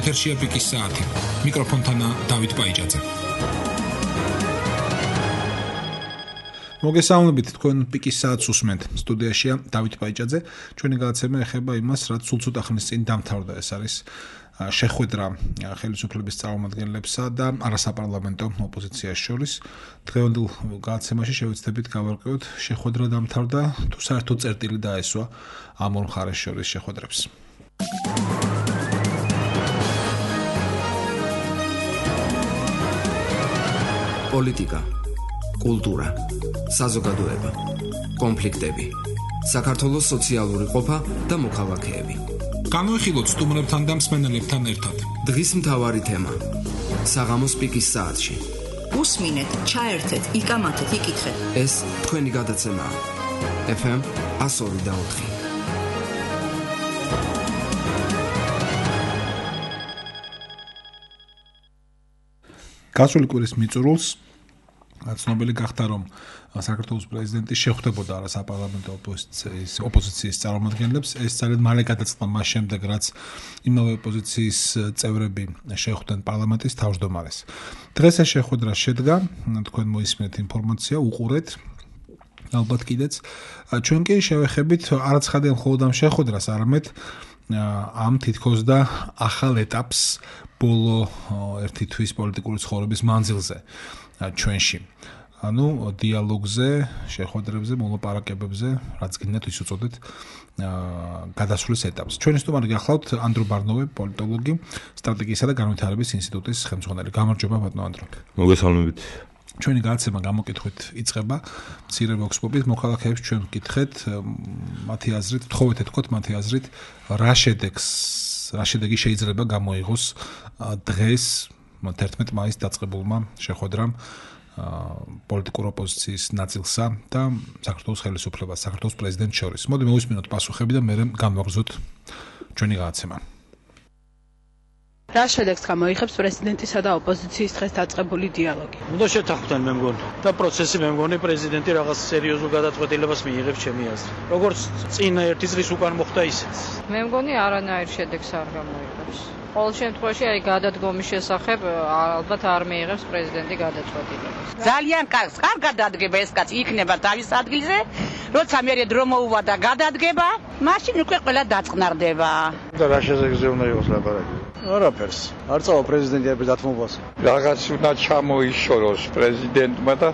ეთერშია პიკის საათი. მიკროფონთანა დავით პაიჭაძე. მოგესალმებით, თქვენ პიკის საათს უსმენთ. სტუდიაშია დავით პაიჭაძე. ჩვენი გადაცემა ეხება იმას, რაც სულ ცოტა ხნის წინ დამთავრდა. ეს არის შეხვედრა ხელისუფლების წარმომადგენლებსა და არასაპარლამენტო ოპოზიციის შორის. დღევანდელ გადაცემაში შევეცდებით გავარკვევთ, შეხვედრა დამთავრდა თუ საერთოდ წერტილი დაესვა ამ ორ მხარეს შორის შეხვედრებს. პოლიტიკა, კულტურა, საზოგადოება, კონფლიქტები, საქართველოს სოციალური ყოფა და მოქალაქეები. განვიხილოთ სტუმრებთან და მსმენელებთან ერთად. დღის მთავარი თემა: საღამოს პიკის საათში. უსმინეთ, ჩაერთეთ, იკამათეთ, იკითხეთ. ეს თქვენი გადაცემაა. FM 102.4. გასული კვირის მიწურულს ცნობილი გახდა, რომ საქართველოს პრეზიდენტი შეხვდებოდა არასაპარლამენტო ოპოზიციის წარმომადგენლებს. ეს ძალიან მალე გადაწყდა მას შემდეგ, რაც იმავე ოპოზიციის წევრები შეხვდნენ პარლამენტის თავმჯდომარეს. დღეს ეს შეხვედრა შედგა, თქვენ მოისმენთ ინფორმაცია, უყურეთ ალბათ კიდეც. ჩვენ კი შევეხებით არაცხადიან მხოლოდ ამ შეხვედრას, არამედ ამ თითქოს და ახალ ეტაპს ბოლო ერთი თვის პოლიტიკური ცხოვრების მანძილზე ჩვენში. ანუ დიალოგზე, შეხვედრებზე, მოლაპარაკებებზე, რაც გინდათ ის უწოდეთ გადასვლის ეტაპს. ჩვენი სტუმარი გახლავთ ანდრო ბარნოვი, პოლიტოლოგი, სტრატეგიისა და განვითარების ინსტიტუტის ხელმძღვანელი. გამარჯობა ბატონო ანდრო. მოგესალმებით. ჩვენი გადაცემა გამოკითხვით იწყება მცირე ვოქსპოპით. მოქალაქეებს ჩვენ ვკითხეთ მათი აზრით, თხოვეთ ეთქვათ მათი აზრით, რა შედეგი შეიძლება გამოიღოს დღეს 11 მაისს დაწყებულმა შეხვედრამ პოლიტიკურ ოპოზიციის ნაწილსა და საქართველოს ხელისუფლებას, საქართველოს პრეზიდენტს შორის. მოდი მოვისმინოთ პასუხები და მერე გამოვაგრძოთ ჩვენი გადაცემა. რა შედეგს გამოიხებს პრეზიდენტისა და ოპოზიციის დღეს დაწყებული დიალოგი? უნდა შეთანხმდნენ მე მგონი და პროცესი მე მგონი პრეზიდენტი რაღაც სერიოზულ გადაწყვეტილებას მიიღებს ჩემი აზრით. როგორც წინა ერთი წლის უკან მოხდა ისეც. მე მგონი არანაირ შედეგს არ გამოიღებს. ყოველ შემთხვევაში აი გადადგომის შესახებ ალბათ არ მიიღებს პრეზიდენტი გადაწყვეტილებას. ძალიან კარგად დადგება ეს კაცი, იქნება თავის ადგილზე, როცა მერე დრო მოუვა და გადადგება, მაშინ უკვე ყველა დაწყნარდება. და რა შედეგზე უნდა იყოს ლაპარაკი? არაფერს. არ წავა პრეზიდენტი ამ დათმობას. რაღაც უნდა ჩამოიშოროს პრეზიდენტმა და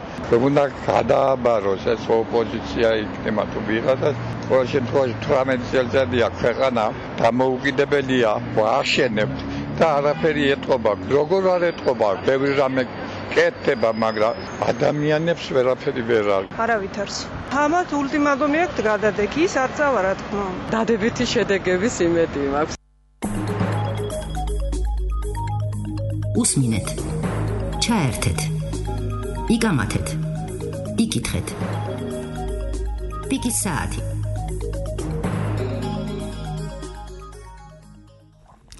უნდა გადააბაროს ეს ოპოზიცია იქნება თუ ვიღაცა. ყოველ შემთხვევაში 18 წელიწადია ქვეყანა დამოუკიდებელია, აშენებთ და არაფერი ეტყობა. როგორ არ ეტყობა? ბევრი რამე კეთდება, მაგრამ ადამიანებს ვერაფერი ვერ არის. არავითარს. ამათ ულტიმატუმი აქვს გადადექი, ის არ წავა რა თქმა უნდა. დადებითი შედეგების იმედი მაქვს. უსმინეთ, ჩაერთეთ, იკამათეთ, იკითხეთ. პიკის საათი.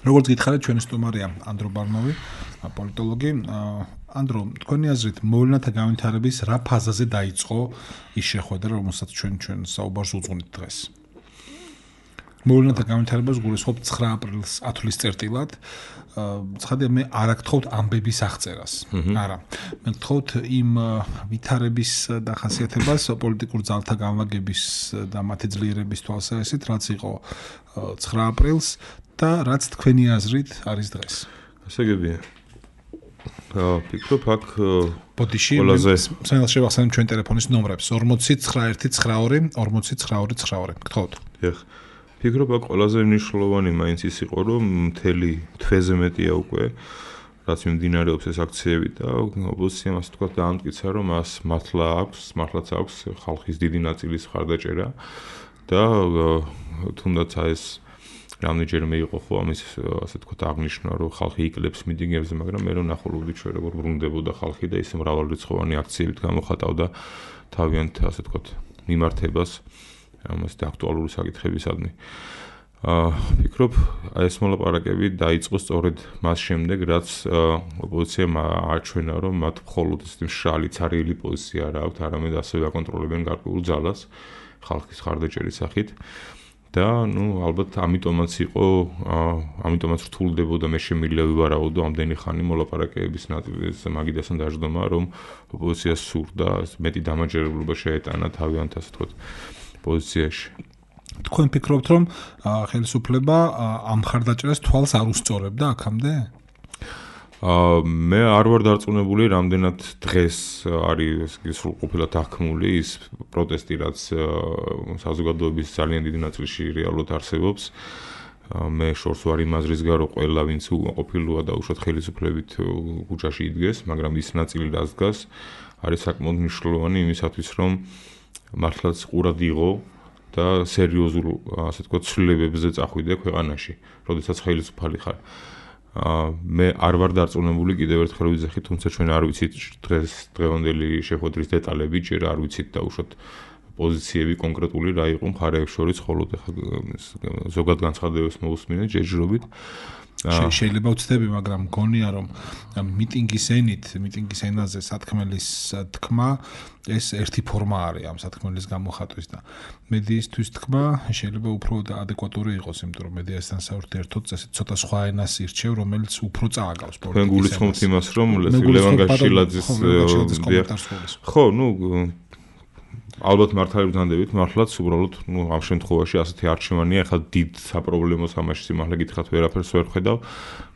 როგორც გითხარით, ჩვენი სტუმარია ანდრო ბარნოვი, პოლიტოლოგი. ანდრო, თქვენი აზრით, მოვლენათა განვითარების რა ფაზაზე დაიწყო ის შეხვედრა, რომელსაც ჩვენ საუბარს უძღვნით დღეს? მოვლენათა განვითარებას გულისხმობ 9 აპრილს ათვლის წერტილად. ცხადია, მე არ აგთხოვთ ამბების აღწერას. არა. მე გთხოვთ იმ ვითარების დახასიათებას, პოლიტიკურ ძალთა განლაგების და მათი ძლიერების თვალსაზრისით, რაც იყო 9 აპრილს და რაც თქვენი აზრით არის დღეს. ასე გებია. ფიქრობ, აქ ბოდიში სანელს შევახსენებ ჩვენ ტელეფონის ნომრებს 409192 409292. გთხოვთ. დიახ. ფიქრობ, აქ ყველაზე მნიშვნელოვანი მაინც ის იყო, რომ მთელი თვეზე მეტია უკვე რაც მიმდინარეობს ეს აქციები და ოპოზიციამ ასე თქვა დაამტკიცა, რომ მას მართლაც აქვს ხალხის დიდი ნაწილის მხარდაჭერა და თუნდაც ეს რამდენჯერმე იყო ხო ამის ასე თქვა აღნიშნა, რომ ხალხი იკლებს მიტინგებზე, მაგრამ მე რომ ნახულობდი ჩვენ როგორ ბრუნდებოდა ხალხი და ის მრავალრიცხოვანი აქციებით გამოხატავდა თავიანთ ასე თქვა მიმართებას ამას და აქტუალური საკითხებისადმი. Ფიქრობ, ეს მოლაპარაკები დაიწყო სწორედ მას შემდეგ, რაც ოპოზიციამ აჩვენა, რომ მათ მხოლოდ ეს მშრალი ცარიელი პოზიცია არ აქვთ, არამედ ასევე აკონტროლებენ გარკვეულ ძალას ხალხის მხარდაჭერის სახით. და ალბათ ამიტომაც იყო ამიტომაც რთულდებოდა მე შემიძლია ვივარაუდო ამდენი ხანი მოლაპარაკებების ნაწილის მაგიდასთან დაждდომა რომ ოპოზიციას სურდა მეტი დამაჯერებლობა შეეტანა თავიანთ ასე ვთქვათ პოზიციაში. თქვენ ფიქრობთ რომ ხელისუფლება ამ მხარდაჭერას თვალს არ უსწორებდა აქამდე? მე არ ვარ დარწმუნებული რამდენად დღეს არის სრულყოფილად აღქმული ის პროტესტი რაც საზოგადოების ძალიან დიდი ნაწილში რეალურად არსებობს. მე შორს ვარ იმ აზრის გარო ყველა ვინც ყოფილოა და უშუალოდ ხელისუფლებით ქუჩაში იდგეს, მაგრამ ის ნაწილი რაც დგას არის საკმაოდ მნიშვნელოვანი იმისათვის რომ მართლაც ყურად იღო და სერიოზულ ასე ვთქვათ ცვლილებებზე წახვიდე ქვეყანაში, როდესაც ხელისუფალი ხარ. მე არ ვარ დარწმუნებული კიდევ ერთხელ ვიძახი, თუმცა ჩვენ არ ვიცით დღევანდელი შეხვედრის დეტალები, ჯერ არ ვიცით და უშუალოდ პოზიციები კონკრეტული რა იყო მხარეებს შორის, ხოლო ზოგად განცხადებებს მოვუსმინეთ ჯერჯერობით. შეიძლება ვცდები, მაგრამ მგონია რომ მიტინგის ენაზე სათქმელის თქმა ეს ერთი ფორმა არის ამ სათქმელის გამოხატვის და მედიისთვის თქმა შეიძლება უფრო ადეკვატური იყოს, იმიტომ რომ მედიასთან საერთოდ წესით ცოტა სხვა ენას ირჩევ, რომელიც უფრო წააგავს პოლიტიკის. თქვენ გულისხმობთ იმას, რომ ლევან გაშილაძის ხო, ალბათ მართალებს დანდებით, მართლაც უბრალოდ ამ შემთხვევაში ასეთი არჩევანია, ახლა დიდ საპრობლემო სამაშს სიმართლე გითხრათ ვერაფერს ვერ ხედავ.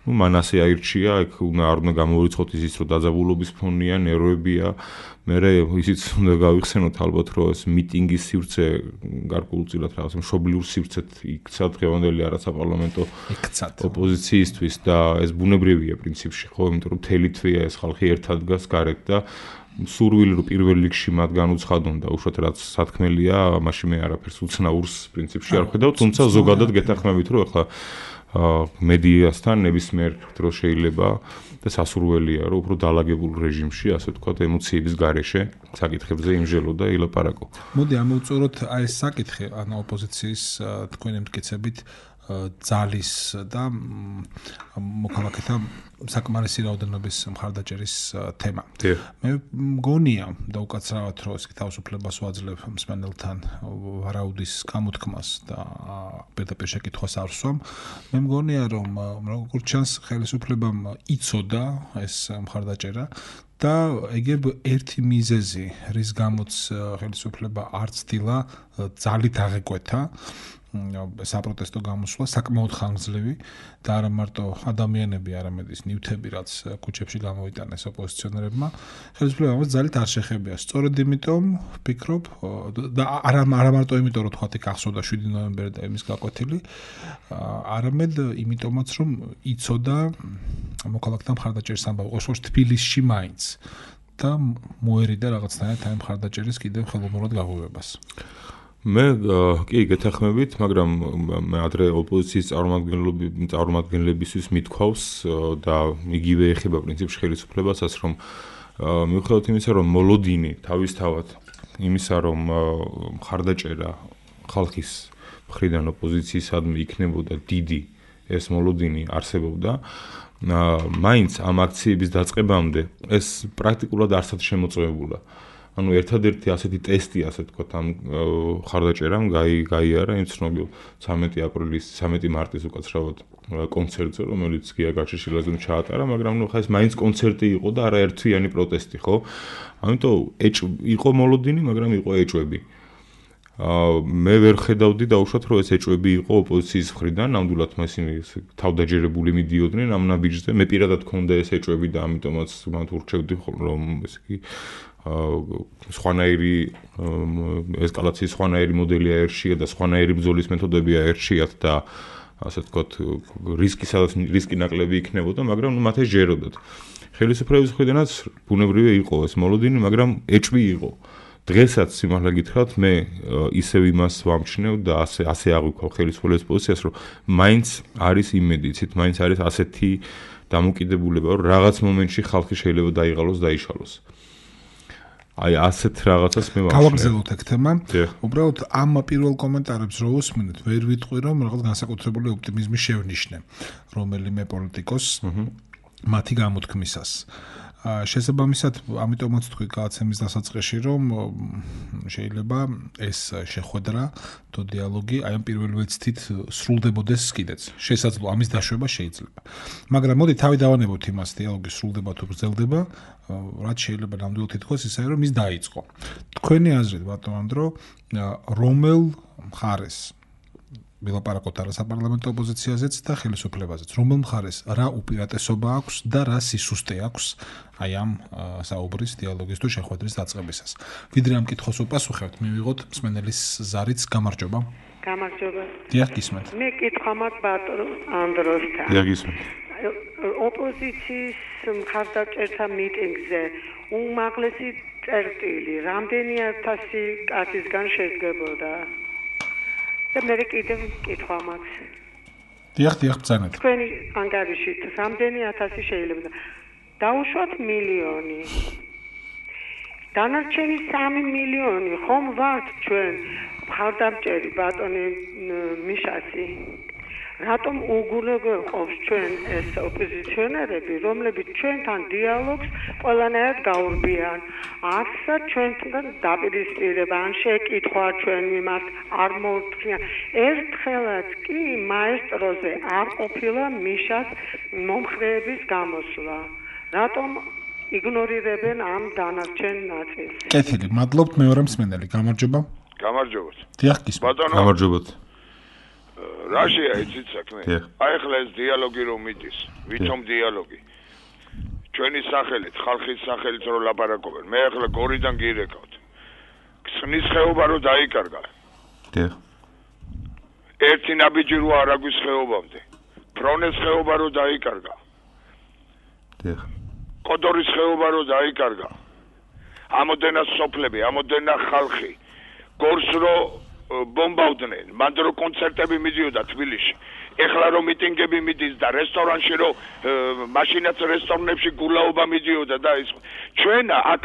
მან ასე აირჩია, აქ არ უნდა გამოვიწყოთ ისიც, რომ დაძაბულობის ფონია, ნერვებია. მერე ისიც უნდა გავიხსენოთ ალბათ, რომ ეს მიტინგის სივრცე გარკვეულწილად რაღაცა მშობლიურ სივრცეთ იქცა დღევანდელი არასაპარლამენტო ოპოზიციისთვის და ეს ბუნებრივია პრინციპში, ხო, იმიტომ რომ მთელი თვეა ეს ხალხი ერთად დგას გარეთ და სურვილი რომ პირველ რიგში მათ განუცხადონ და უშუალოდ რაც სათქმელია, მაშინ მე არაფერს უცნაურს პრინციპში არ ხედავ, თუმცა ზოგადად გეთანხმებით რომ ახლა მედიასთან ნებისმიერ დროს შეიძლება და სასურველია რომ უფრო დაალაგებულ რეჟიმში, ასე ვთქვათ, ემოციების გარეშე საკითხებზე იმჟელო და ილაპარაკო. მოდი ამოვწუროთ აი ეს საკითხი, ანუ ოპოზიციის თქვენი მტკიცებით ძალის და მოქალაქეთა საკმარისი რაოდენობის მხარდაჭერის თემა. მე მგონია და უკაცრავად რომ ეს თავისუფლებას ვაძლევ მსმენელთან ვარაუდის გამოთქმას და პირდაპირ შეკითხვას არ ვსვამ. მე მგონია რომ როგორც ჩანს ხელისუფლებამ იცოდა ეს მხარდაჭერა და ეგებ ერთი მიზეზი, რის გამოც ხელისუფლება არ ცდილა ძალით აღეკვეთა საპროტესტო გამოსვლა საკმაოდ ხანგრძლივი და არა მარტო ადამიანები, არამედ ის ნივთები, რაც ქუჩებში გამოვიტანეს ოპოზიციონერებმა, ხელისუფლებამ ძალით არ შეხებია. სწორედ იმიტომ ვფიქრობ და არა მარტო იმიტომ, რომ თქვათ იქ ახსოვდა 7 ნოემბერი და იმის გაკვეთილი, არამედ იმიტომაც, რომ იცოდა მოქალაქეთა მხარდაჭერის ამბავი, ყოველთვის თბილისში მაინც და მოერიდა რაღაცნაირად ამ მხარდაჭერის კიდევ ხელოვნურად გაღვივებას. მე კი გეთანხმებით, მაგრამ მე ადრე ოპოზიციის წარმომადგენლებისთვის მithქვავს და იგივე ეხება პრინციპში ხელისუფლებასაც, რომ მიუხედავად იმისა, რომ მოლოდინი თავისთავად იმისა, რომ მხარდაჭერა ხალხის მხრიდან ოპოზიციისადმი იქნებოდა დიდი, ეს მოლოდინი არსებობდა, მაინც ამ აქციების დაწყებამდე ეს პრაქტიკულად არსად შემოწმებულა. ანუ ერთადერთი ასეთი ტესტი, ასე ვთქვათ, ამ ხარდაჭერამ გაიარა იმ ცნობილ 13 მარტის უკაცრავად კონცერტზე, რომელიც გია გაჩეშილაძემ ჩაატარა, მაგრამ ხა ეს მაინც კონცერტი იყო და არა ერთვიანი პროტესტი, ხო? ამიტომ იყო მოლოდინი, მაგრამ იყო ეჭვები. მე ვერ ხედავდი დაუშვათ, რომ ეს ეჭვები იყო ოპოზიციის მხრიდან, ნამდვილად ისინი თავდაჯერებული მიდიოდნენ ამ ნაბიჯზე. მე პირადად მქონდა ეს ეჭვები და ამიტომაც მათ ურჩევდი, რომ ესე იგი სხვანაირი ესკალაციის სხვანაირი მოდელი აერჩიათ და სხვანაირი ბრძოლის მეთოდები აერჩიათ და ასე ვთქვათ რისკი ნაკლები იქნებოდა, მაგრამ მათ ეს ჯეროდათ. ხელისუფლების მხრიდანაც ბუნებრივია იყო ეს მოლოდინი, მაგრამ ეჭვი იყო. დღესაც სიმართლე გითხრათ, მე ისევ იმას ვამჩნევ და ასე აღვიქვა ხელისუფლების პოზიციას, რომ მაინც არის იმედიცით, მაინც არის ასეთი დამოკიდებულება, რომ რაღაც მომენტში ხალხი შეიძლება დაიღალოს, დაიშალოს. აი ასეთ რაღაცას მე ვამჩნევ. გავაგზავნოთ ეგ თემა. უბრალოდ ამ პირველ კომენტარებს რო უსმინეთ, ვერ ვიტყვი რომ რაღაც განსაკუთრებული ოპტიმიზმი შევნიშნე რომელიმე პოლიტიკოს მათი გამოთქმისას. შესაბამისად, ამიტომაც თქვი გააცემის დასაწყისში, რომ შეიძლება ეს შეხვედრა, თუ დიალოგი აი ამ პირველი ვეცდით სრულდებოდეს კიდეც. შესაძლოა ამის დაშვება შეიძლება. მაგრამ მოდი თავი დავანებოთ იმას, დიალოგი სრულდება თუ გრძელდება, რაც შეიძლება ნამდვილად ითქვას ისე, რომ ის დაიწყო. თქვენი აზრით, ბატონ ანდრო, რომელ მხარეს ვილაპარაკოთ არა საპარლამენტო ოპოზიციაზეც და ხელისუფლებაზეც. რომელ მხარეს რა უპირატესობა აქვს და რა სისუსტე აქვს აი ამ საუბრის, დიალოგის თუ შეხვედრის დაწყებისას. ვიდრე ამ კითხვას უპასუხებთ, მივიღოთ მსმენელის ზარიც გამარჯობა. გამარჯობა. დიახ, გისმენთ. მე კითხვა მაქვს ბატონ ანდროსთან. დიახ, გისმენთ. ოპოზიციის მხარდაჭერთა მიტინგზე უმაღლესი წერტილი რამდენი 1000 კაცისგან შედგებოდა? და მე კიდევ კითხვა მაქვს. დიახ, ბრძანეთ. თქვენი ანგარიშით რამდენი 1000 შეიძლება დაუშვათ მილიონი. დანარჩენი 3 მილიონი ხომ ვართ ჩვენ მხარდამჭერი ბატონი მიშასი. რატომ უგულოებობს ჩვენ ეს ოპოზიციონერები, რომლებიც ჩვენთან დიალოგს ყველანაირად გაურბიან? არცა ჩვენთან დაპირისპირება, ან შეკითხვა ჩვენ მიმართ არ მოუთხიან. ერთხელაც კი მაესტროზე არ ყოფილა მიშას მომხრეების გამოსვლა. რატომ იგნორირებენ ამ დანარჩენ ნაწილს? კეთილი, მადლობთ მეორე მსმენელი, გამარჯობა. გამარჯობათ. დიახ, გისმენთ. გამარჯობათ. რაშია იცით საქმე? აი ახლა ეს დიალოგი რომ მიდის, ვითომ დიალოგი? ჩვენი სახელით, ხალხის სახელით რომ ლაპარაკობენ. მე ახლა გორიდან გირეკავთ. ქსნის ხეობა რომ დაიკარგა. დიახ. ერთი ნაბიჯი რო არ აგვის ხეობამდე. ფრონეს ხეობა რომ დაიკარგა. დიახ. კოდორის ხეობა რომ დაიკარგა. ამოდენა სოფლები, ამოდენა ხალხი. გორს რო ბომბავდნენ, მანდ რო კონცერტები მიდიოდა თბილისში. ეხლა რომ მიტინგები მიდის და რესტორანში რო მაშინაც რესტორნებში გულაობა მიდიოდა და ის ჩვენ აქ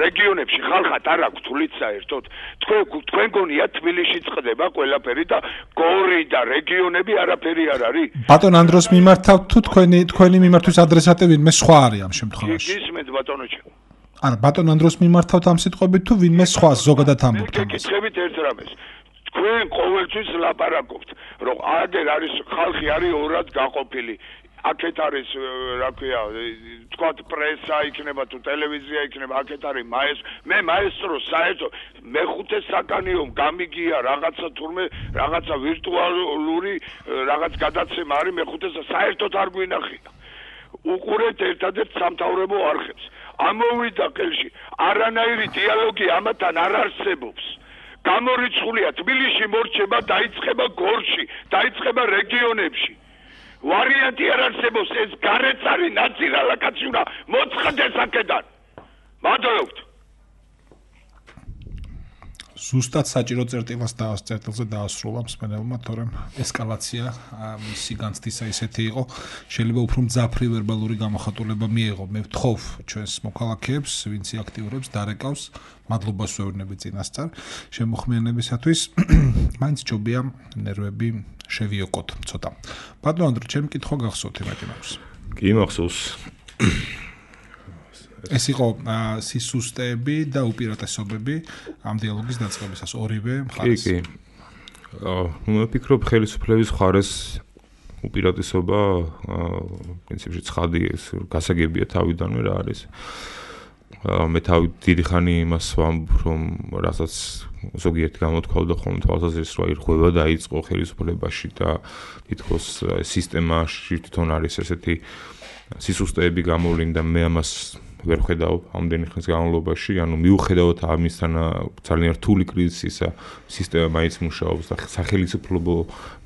რეგიონებში ხალხად არ აქვს თulit საერთოდ. თქვენ გონია თბილისში წყდება ყველაფერი და გორი და რეგიონები არაფერი არ არის. ბატონ ანდროს მიმართავთ თუ თქვენი მიმართვის ადრესატი ვინმე სხვა არის ამ შემთხვევაში? გისმენთ ბატონოჩა. არა, ბატონ ანდროს მიმართავთ ამ სიტყვებით თუ ვინმე სხვას ზოგადად ამბობთ ამას? გითხებით ერთ რამეს. თქვენ ყოველთვის ლაპარაკობთ, რომ აგერ არის ხალხი არის ორად გაყოფილი. აქეთ არის, რა ქვია, თქვათ პრესა იქნება თუ ტელევიზია იქნება, აქეთ არის მე მაესტრო საერთოდ მეხუთე საკანიო გამიგია რაღაცა თურმე რაღაცა ვირტუალური რაღაც გადაცემა არის მეხუთე საერთოდ არ გვინახია. უყურეთ ერთადერთ სამთავრობო არხებს. ამოვიდა ხელში არანაირი დიალოგი ამათან არ არსებობს. გამორიცხულია თბილისში მორჩება, დაიწყება გორში, დაიწყება რეგიონებში. ვარიანტი არ არსებობს, ეს გარეთ არის ნაციონალაკაცი უნდა მოწყდეს აქედან. მადლობთ. ზუსტად საჭირო წერტილზე დაასრულა მსმენელმა, თორემ ესკალაცია მისი განცდისა ისეთი იყო, შეიძლება უფრო მძაფრი ვერბალური გამოხატულება მიეღო. მე ვთხოვ ჩვენს მოქალაქეებს, ვინც აქტიურებს, დარეკავს, მადლობას ვეუბნები წინასწარ შემოხმიანებისათვის. მაინც ჯობია ნერვები შევიოკოთ ცოტა. ბატონ ანდრო, ჩემი კითხვა გახსოვთ იმათი მაქვს. კი, მახსოვს. ეს იყო სისუსტეები და უპირატესობები ამ დიალოგის დაწყებისას ორივე მხარეს. კი. მე ვფიქრობ ხელისუფლების მხარეს უპირატესობა პრინციპში ცხადი ეს გასაგებია თავიდანვე რა არის. მე დიდი ხანი იმას ვამბობ, რომ რასაც ზოგიერთი გამოთქვაოდა ხოლმე თვალსაზრისით, რომ ირღვევა დაიწყო ხელისუფლებაში და თითქოს სისტემაში თვითონ არის ესეთი სისუსტეები გამოვლინდა, მე ამას ვერ ხედავ ამდენი ხნის განმავლობაში, ანუ მიუხედავად ამისთან ძალიან რთული კრიზისისა, სისტემა მაინც მუშაობს და სახელმწიფო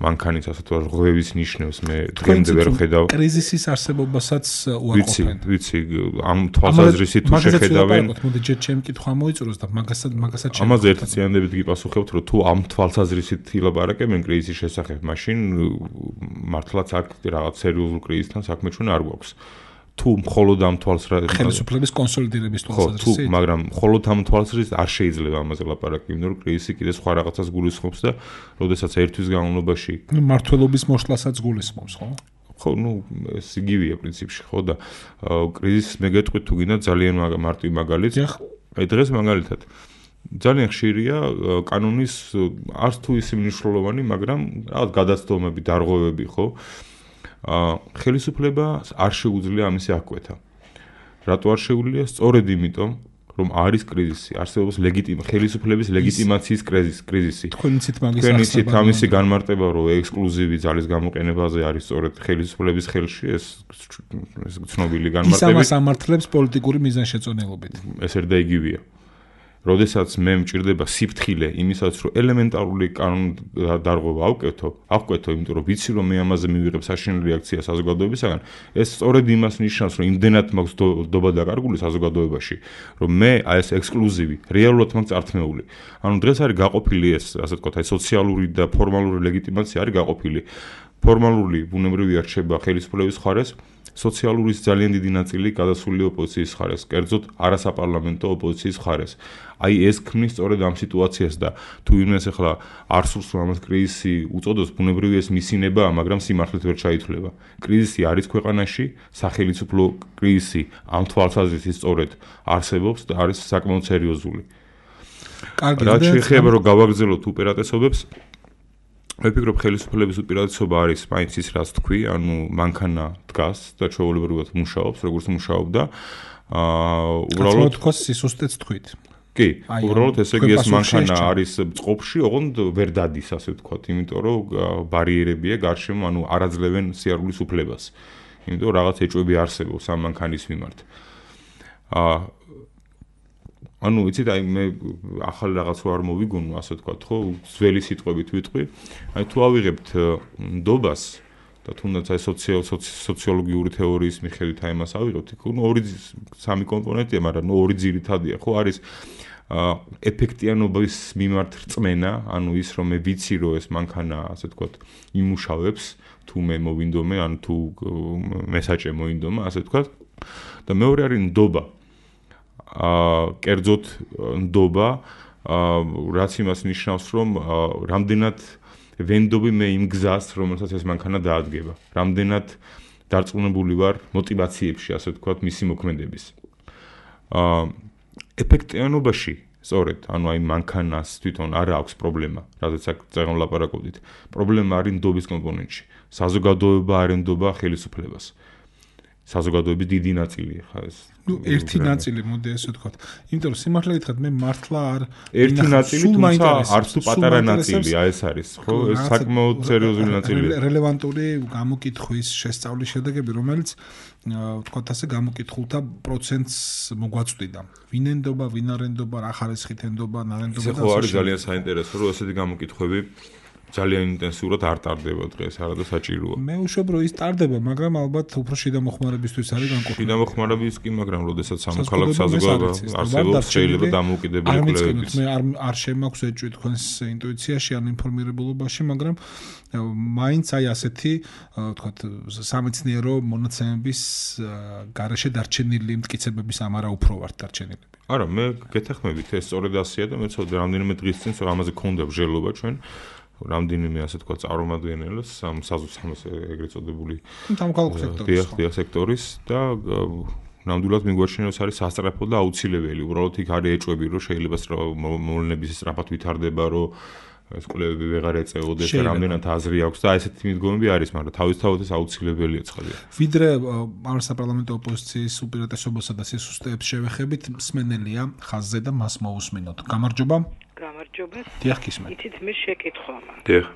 მანქანით ასე თუ რღვევის ნიშნებს მე დღემდე ვერ ხედავ. კრიზისის არსებობასაც უარყოფენ. ვიცი, ამ თვალსაზრისით თუ შეხედავენ, მოდი ჯერ ჩემი კითხვა მოიწუროს და მაგასაც შემიძლია. ამაზე ერთწლიანებით გიპასუხებთ, რომ თუ ამ თვალსაზრისით ილაპარაკებენ კრიზისის შესახებ, მაშინ მართლაც აქ რაღაც სერიოზულ კრიზისთან საქმე ჩვენ არ გვაქვს. თუ მხოლოდ ამ თვალსაზრისით ხელისუფლების კონსოლიდირების თვალსაზრისით, მაგრამ მხოლოდ ამ თვალსაზრისით არ შეიძლება ამაზე ლაპარაკი, იმიტომ რომ კრიზისი კიდე სხვა რაღაცას გულისხმობს და როდესაც ერთვის განმავლობაში მართლობის მოშლასაც გულისხმობს, ხო? ხო, ეს იგივეა პრინციპში, ხო და კრიზისს მე გეტყვით თუ გინდა ძალიან მარტივ მაგალითს. აი დღეს მაგალითად ძალიან ხშირია კანონის არც თუ ისე მნიშვნელოვანი, მაგრამ რაღაც გადაცდომები, დარღვევები, ხო? ხელისუფლებას არ შეუძლია ამისი აღკვეთა. რატო არ შეუძლია? სწორედ იმიტომ, რომ არის კრიზისი, არსებობს ხელისუფლების ლეგიტიმაციის კრიზისი. თქვენიცით ამისი განმარტება, რომ ექსკლუზივი ძალის გამოყენებაზე არის სწორედ ხელისუფლების ხელში, ეს ცნობილი განმარტება. ის ამას ამართლებს პოლიტიკური მიზანშეწონილობით. ეს ერთ და იგივეა. როდესაც მე მჭირდება სიფრთხილე იმისაც, რომ ელემენტარული კანონდარღვევა ავკვეთო, იმიტომ რომ ვიცი, რომ მე ამაზე მივიღებ საშინელ რეაქციას საზოგადოებისგან, ეს სწორედ იმას ნიშნავს, რომ იმდენად მაქვს დობა დაკარგული საზოგადოებაში, რომ მე ეს ექსკლუზივი რეალურად მაქვს წართმეული. ანუ დღეს არის გაყოფილი ეს, ასე ვთქვათ, აი სოციალური და ფორმალური ლეგიტიმაცია არის გაყოფილი. ფორმალური ბუნებრივია რჩება ხელისუფლების მხარეს, სოციალურის ძალიან დიდი ნაწილი გადასული ოპოზიციის მხარეს, კერძოდ არასაპარლამენტო ოპოზიციის მხარეს. აი ეს ქმნის სწორედ ამ სიტუაციას და თუ ვინმეს ახლა არ სურს რომ ამას კრიზისი უწოდოს, ბუნებრივია ეს მისინებაა, მაგრამ სიმართლით ვერ ჩაითვლება. კრიზისი არის ქვეყანაში, სახელმწიფო კრიზისი ამ თვალსაზრისით სწორედ არსებობს და არის საკმაოდ სერიოზული. რაც შეეხება რომ გავაგრძელოთ უპირატესობებს, მე ვფიქრობ ხელისუფლების უპირატესობა არის მაინც ის რაც თქვი, ანუ მანქანა დგას და ჩვეულებრივად მუშაობს, როგორც მუშაობდა. უბრალოდ თქოს სისუსტეც თქვით. კი, უბრალოდ ესე იგი ეს მანქანა არის წყობში, ოღონდ ვერ დადის, ასე ვთქვათ, იმიტომ რომ ბარიერებია გარშემო, ანუ არ აძლევენ სიარულის უფლებას. იმიტომ რაღაც ეჭვები არსებობს ამ მანქანის მიმართ. ანუ იცით, აი მე ახალ რაღაც რო არ მოვიგონო, ასე ვთქვათ, ხო, ძველი სიტყვებით ვიტყვი. აი თუ ავიღებთ ნდობას და თუნდაც აი სოციოლოგიური თეორიის მიხედვით აი მას ავიღებთ, ნუ სამი კომპონენტია, მაგრამ ნუ ორი ძირითადია, ხო, არის ეფექტიანობის მიმართ რწმენა, ანუ ის რომ მე ვიცი რომ ეს მანქანა, ასე ვთქვათ, იმუშავებს, თუ მე მოვინდომე, ან თუ მესაჭე მოინდომა, ასე ვთქვათ. და მეორე არის ნდობა. კერძოდ ნდობა, რაც იმას ნიშნავს, რომ რამდენად ვენდობი მე იმ გზას, რომელსაც ეს მანქანა დაადგება. რამდენად დარწმუნებული ვარ мотиваციებში, ასე ვთქვათ, მისი მოქმედების. ეფექტიანობაში, სწორედ, ანუ აი მანქანას თვითონ არ აქვს პრობლემა, რადგან წეგან ლაპარაკობდით. პრობლემა არის ნდობის კომპონენტში. საზოგადოება არ ენდობა ხელისუფლებას. საზოგადოების დიდი ნაწილი ხა ეს. ნუ ერთი ნაწილი, მოდი ესე ვთქვათ. იმიტომ რომ სიმართლე გითხრათ, მე მართლა არ ერთი ნაწილი, თუმცა არც თუ პატარა ნაწილია, ეს არის, ხო? ეს საკმაოდ სერიოზული ნაწილია. რელევანტური გამოკითხვის შესწავლის შედეგები, რომელიც ვთქვათ ასე გამოკითხულთა პროცენტს მოგვაწვდიდა. ვინ ენდობა, ვინ არ ენდობა, რა ხარისხით ენდობა, ნარენდობა და ასე. ხო არის ძალიან საინტერესო, რომ ესეთი გამოკითხვები ძალიან ინტენსიურად არ ტარდება დღეს, არა და საჭიროა. მე ვუშვებ, რომ ის ტარდება, მაგრამ ალბათ უფრო შიდა მოხმარებისთვის არის განყოფილი. შიდა მოხმარების კი, მაგრამ როდესაც სამოქალაქო საზოგადოება არსებობს, შეიძლება დამოუკიდებელი კვლევების. მე არ შემაქვს ეჭვი თქვენს ინტუიციაში, ან ინფორმირებულობაში, მაგრამ მაინც აი ასეთი, ვთქვათ, სამეცნიერო მონაცემების გარეშე დარჩენილი მტკიცებების ამარა უფრო ვართ დარჩენილი. არა, მე გეთახმებით, ეს სწორედ ასეა და მე ცოტა რამდენიმე დღის წინ ამაზე გქონდა ბრძოლობა ჩვენ. რამდენიმე ასე თქვა წარმომადგენელს საზუსტად ეგრეთ წოდებული სამოქალაქო სექტორის და ნამდვილად მიგვაჩნიოს არის სასწრაფო და აუცილებელი. უბრალოდ იქ არის ეჭვები, რომ შეიძლება მოვლენების სწრაფად ვითარდება, რომ ეს კვლევები ვეღარ ეწეოდეს და რამდენად აზრი აქვს და ესეთი მიდგომები არის, მაგრამ თავისთავად ეს აუცილებელია ცხადია. ვიდრე არასაპარლამენტო ოპოზიციის უპირატესობასა და სისუსტეებს შევეხებით, მსმენელია ხაზზე და მას მოусმინოთ. გამარჯობა. გამარჯობა. დიახ, გისმენთ. იცით, მე შეკითხვა მაქვს. დიახ.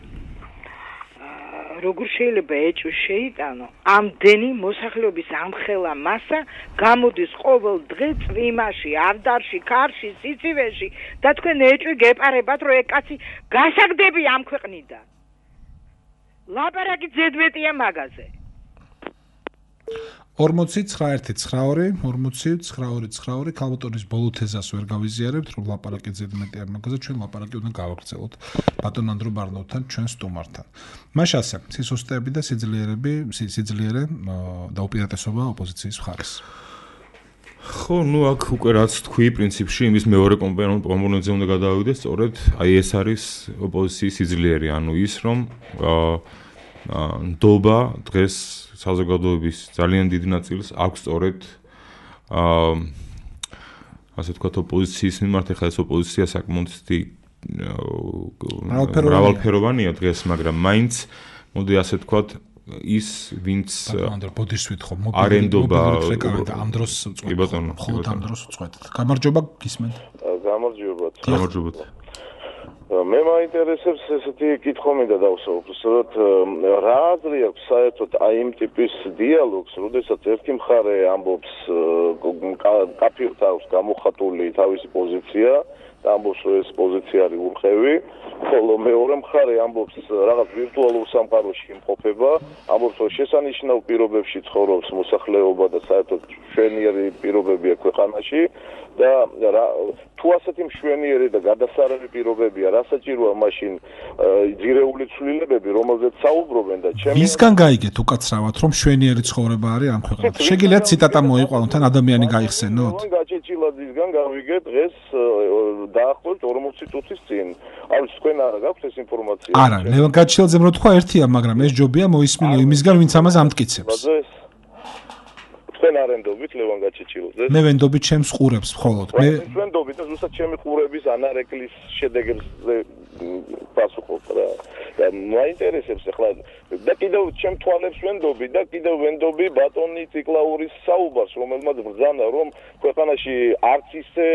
როგორ შეიძლება ეჭვი შეიტანო ამდენი მოსახლეობის ამხელა მასა გამოდის ყოველ დღე წვიმაში, ავდარში, ქარში, სიცივეში და თქვენ ეჭვი გეპარებათ, რომ ეგ კაცი გასაგდები ამ ქვეყნიდან. ლაპარაკი ზედმეტია მაგაზე. 49-92 40-92 ქალბატონის ბოლო თეზას ვერ გავიზიარებთ, რომ ლაპარაკი ზედმეტია მაგაზე, ჩვენ ლაპარაკი უნდა გავაგრძელოთ ბატონ ანდრო ბარნოვთან, ჩვენ სტუმართან. მაშ ასე, სისუსტეები და სიძლიერე და უპირატესობა ოპოზიციის მხარეს. ხო, ნუ აქ უკვე რაც თქვი, პრინციპში იმის მეორე კომპონენტზე უნდა გადავიდეთ, სწორედ აი ეს არის ოპოზიციის სიძლიერე, ანუ ის რომ ნდობა დღეს საზოგადოების ძალიან დიდი ნაწილს აქვს სწორედ ასე ვთქვათ ოპოზიციის მიმართ, ახლა ეს ოპოზიცია საკმაოდ მრავალფეროვანია დღეს, მაგრამ მაინც მოდი ასე ვთქვათ ის ვინც ბოდისვით ხო არენდობა ამ დროს მხოლოდ ამ დროს უწყვეტთ. გამარჯობა გისმენთ. გამარჯობათ. მე მაინტერესებს ესეთი კითხვა მინდა დავსაუბროთ, რა აზრი აქვს საერთოდ აი იმ ტიპის დიალოგს, როდესაც ერთი მხარე ამბობს კაფირთ აქვს გამოხატული თავისი პოზიცია და ამბობს რომ ეს პოზიცია არის ურყევი, ხოლო მეორე მხარე ამბობს რაღაც ვირტუალურ სამყაროში იმყოფება, ამბობს რომ შესანიშნავ პირობებში ცხოვრობს მოსახლეობა და საერთოდ მშვენიერი პირობებია ქვეყანაში და თუ ასეთი მშვენიერი და გადასარევი პირობებია, რა საჭიროა მაშინ ძირეული ცვლილებები, რომელზეც საუბრობენ და ჩემი ვისგან გაიგეთ უკაცრავად რომ მშვენიერი ცხოვრება არის ამ ქვეყანაში? შეგიძლიათ ციტატა მოიყვანოთ თან ადამიანი გაიხსენოთ? გაჭეჭილადისგან გავიგეთ დღეს დაახლოებით 40 წუთის წინ. არის თქვენ არა გაქვთ ეს ინფორმაცია? არა, ლევან გაჭეჭილაძემ რო თქვა ერთია, მაგრამ ეს ჯობია მოისმინო იმისგან, ვინც ამას ამტკიცებს. თქვენ არენდობით ლევან გაჭეჭილაძეს? მე ვენდობით ჩემს ყურებს მხოლოდ. მე ვენდობით და ზუსტად ჩემი ყურების ანარეკლის შედეგებს პასუხობ რა. და მაინტერესებს ახლა და კიდევ ჩემ თვალებს ვენდობი და კიდევ ვენდობი ბატონი ციკლაურის საუბარს, რომელმაც ბრძანა რომ ქვეყანაში არც ისე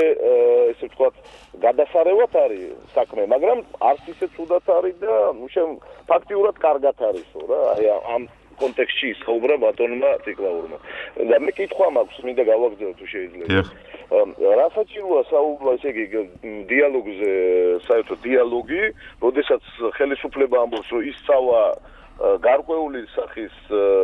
ვთქვათ გადასარევად არის საქმე, მაგრამ არც ისე ცუდად არის და ფაქტიურად კარგად არისო რა. აი ამ კონტექსტში საუბრა ბატონმა ციკლაურმა. და მე კითხვა მაქვს, მინდა გავაგზავნო თუ შეიძლება. რა საჭიროა საუბრო, ესე იგი დიალოგზე, საერთოდ დიალოგი, როდესაც ხელისუფლება ამბობს, რომ ისწავლა გარკვეული სახის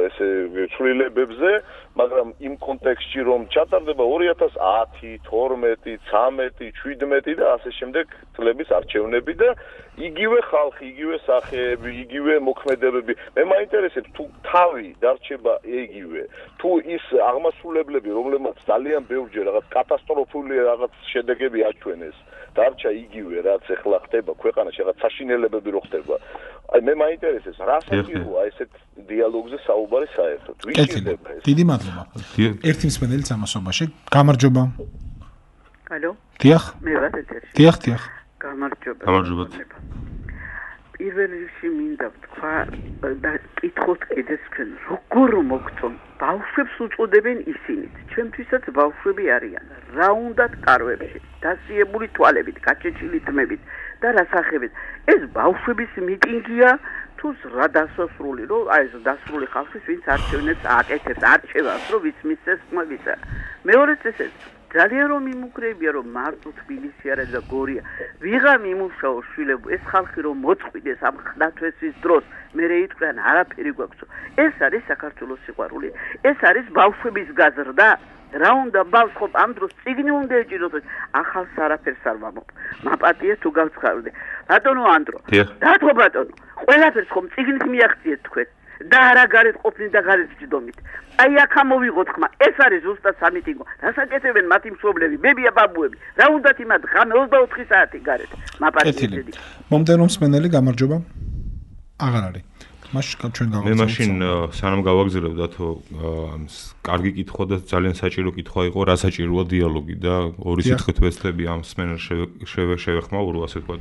ესე ცვლილებებზე, მაგრამ იმ კონტექსტში რომ ჩატარდება 2010, 12, 13, 17 და ასე შემდეგ წლების არჩევნები და იგივე ხალხი, იგივე სახეები, იგივე მოქმედებები. მე მაინტერესებს თუ თავი დარჩება იგივე, თუ ის აღმასრულებლები, რომლებმაც ძალიან ბევრჯერ რაღაც კატასტროფული რაღაც შედეგები აჩვენეს, დარჩა იგივე, რაც ახლა ხდება ქვეყანაში, რაღაც საშინელებები რო ხდება. აი მე მაინტერესებს რა საჭიროა ესეთ დიალოგზე საუბარი საერთოდ. დიდი მადლობა. ერთი მსმენელი სამასობაში. გამარჯობა. ალო. დიახ. მე ვარ ეთერში. დიახ. გამარჯობა. გამარჯობათ. პირველ რიგში მინდა ვთქვა და კითხოთ კიდე თქვენ როგორ მოგწონ ბავშვებს უწოდებენ ისინით. ჩვენთვისაც ბავშვები არიან. რა უნდათ კარვებში, დასიებული თვალებით, გაჭეჭილი თმებით და რასახებით. ეს ბავშვების მიტინგია თუ რა დასასრული, რომ აი ეს დასრული ხალხის ვინც არჩევნებს აკეთებს, არჩევას, რომ ვის მისცეს ხმებისა. მეორე წესით ძალიან რომ იმუქრებია რომ მარტო თბილისი არა და გორია. ვიღამ იმუშაო შვილებო, ეს ხალხი რომ მოწყვიდეს ამ ხდათვესის დროს, მე რეიტყვიან არაფერი გვაქვს. ეს არის საქართველოს სიყვარული. ეს არის ბავშვების გაზრდა. რა უნდა ბავშვო ამ დროს წიგნი უნდა ეჭიროთ. ახალს არაფერს არ ვამობ. მაპატია თუ გავცხარდე. ბატონო ანდრო. დათო ბატონო. ყველაფერს ხომ წიგნით მიაღწიეთ თქვენ. და არა გარეთ ყოფნით და გარეთ ჯდომით. აი აქ ამოვიღოთ ხმა. ეს არის ზუსტად სამიტინგო. რასაკეთებენ მათი მშობლები, ბებია ბაბუები. რა უნდათ იმათ ღამე 24 საათი გარეთ. მაპატიები. მომდენო მსმენელი გამარჯობა. აღარ არის. მაშინ ჩვენ გავაგზავნებთ. მე მაშინ სანამ გავაგზავნებთ დათო კარგი კითხვა და ძალიან საჭირო კითხვა იყო, რა საჭიროა დიალოგი და ორი სიტყვით ვეცდები ამ მსმენელს შევეხმაურო, ასე ვთქვათ.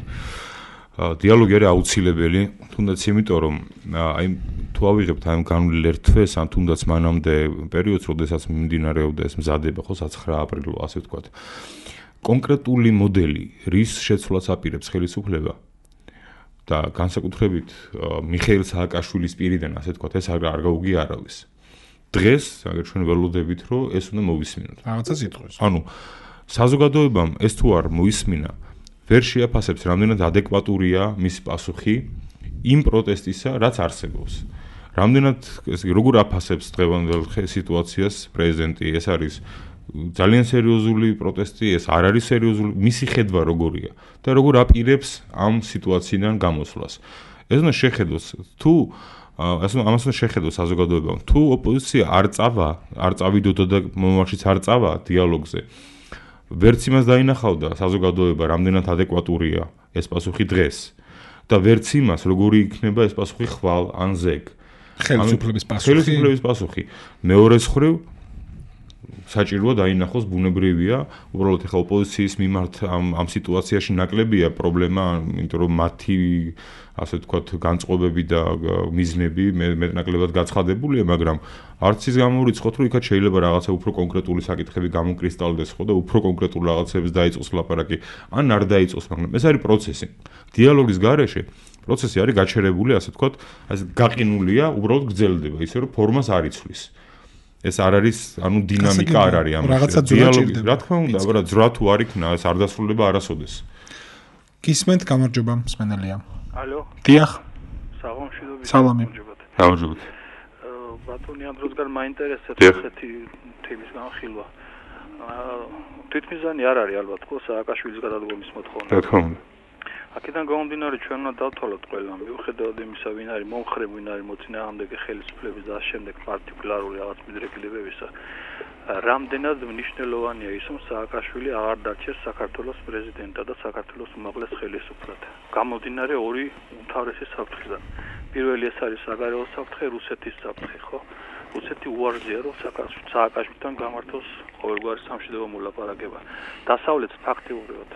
დიალოგი არის აუცილებელი, თუნდაც იმიტომ რომ აი თუ ავიღებთ ამ განვლილ ერთ თვეს, ან თუნდაც მანამდე პერიოდს, როდესაც მიმდინარეობდა ეს მზადება, ხო 9 აპრილს, ასე ვთქვათ. კონკრეტული მოდელი, რის შეცვლას აპირებს ხელისუფლება და განსაკუთრებით მიხეილ სააკაშვილის პირიდან, ასე ვთქვათ, ეს არ გაუგიარავეს. დღეს, აგერ ჩვენ ველოდებით, რომ ეს უნდა მოვისმინოთ. რაღაცა სიტყვის. ანუ საზოგადოებამ ეს თუ არ მოისმინა, ვერ შეაფასებს რამდენად ადეკვატურია მისი პასუხი იმ პროტესტისა, რაც არსებობს. რამდენად როგორ აფასებს დღევანდელ სიტუაციას პრეზიდენტი, ეს არის ძალიან სერიოზული პროტესტი, ეს არ არის სერიოზული, მისი ხედვა როგორია და როგორ აპირებს ამ სიტუაციიდან გამოსვლას. ეს უნდა შეხედოს, თუ ამას უნდა შეხედოს საზოგადოებამ, თუ ოპოზიცია არ წავიდოდა და მომავალშიც არ წავა დიალოგზე. ვერც იმას დაინახავდა საზოგადოება, რამდენად ადეკვატურია ეს პასუხი დღეს და ვერც იმას, როგორი იქნება ეს პასუხი ხვალ ან ზეგ. ხელისუფლების პასუხი. ხელისუფლების პასუხი. მეორეს მხრივ საჭიროა დაინახოს ბუნებრივია, უბრალოდ ახლა ოპოზიციის მიმართ ამ სიტუაციაში ნაკლებია პრობლემა, იმიტომ რომ მათი ასე ვთქვათ განწყობები და მიზნები მეტნაკლებად გაცხადებულია, მაგრამ არც ის გამორიცხოთ, რომ იქაც შეიძლება რაღაცა უფრო კონკრეტული საკითხები გამოკრისტალდეს ხო და უფრო კონკრეტულ რაღაცებს დაიწყოს ლაპარაკი, ან არ დაიწყოს, მაგრამ ეს არის პროცესი. დიალოგის გარეშე პროცესი არის გაჩერებული, ასე ვთქვათ, ასე გაყინულია, უბრალოდ გრძელდება, ისე რომ ფორმას არ იცვლის. ეს არ არის, ანუ დინამიკა არ არის ამაში. რაღაცა ძრა ჭირდება. რა თქმა უნდა, მაგრამ ძრა თუ არ იქნა, ეს არ დასრულდება არასოდეს. გისმენთ, გამარჯობა, მსმენელია. ალო. დიახ. საღამოშიდობი. სალამი. გამარჯობათ. ბატონი ამ დროსგან მაინტერესებს ესეთი თემის განხილვა. თვითმიზანი არ არის ალბათ ხო სააკაშვილის გადადგომის მოთხოვნა. რა თქმა უნდა. აქედან გამომდინარე ჩვენ უნდა დავთვალოთ ყველა მიუხედავად იმისა, ვინ არის მომხრე, ვინ არის მოწინააღმდეგე ხელისუფლების და შემდეგ პარტიკულარული რაღაც მიდრეკილებებისა. რამდენად მნიშვნელოვანია ის, რომ სააკაშვილი აღარ დარჩეს საქართველოს პრეზიდენტად და საქართველოს უმაღლეს ხელისუფლად. გამომდინარე ორი უმთავრესი საფრთხიდან. პირველი ეს არის საგარეო საფრთხე, რუსეთის საფრთხე, ხო? რუსეთი უარზია, რომ სააკაშვილთან გამართოს ყოველგვარი სამშვიდობო მოლაპარაკება. დასავლეთს ფაქტიურად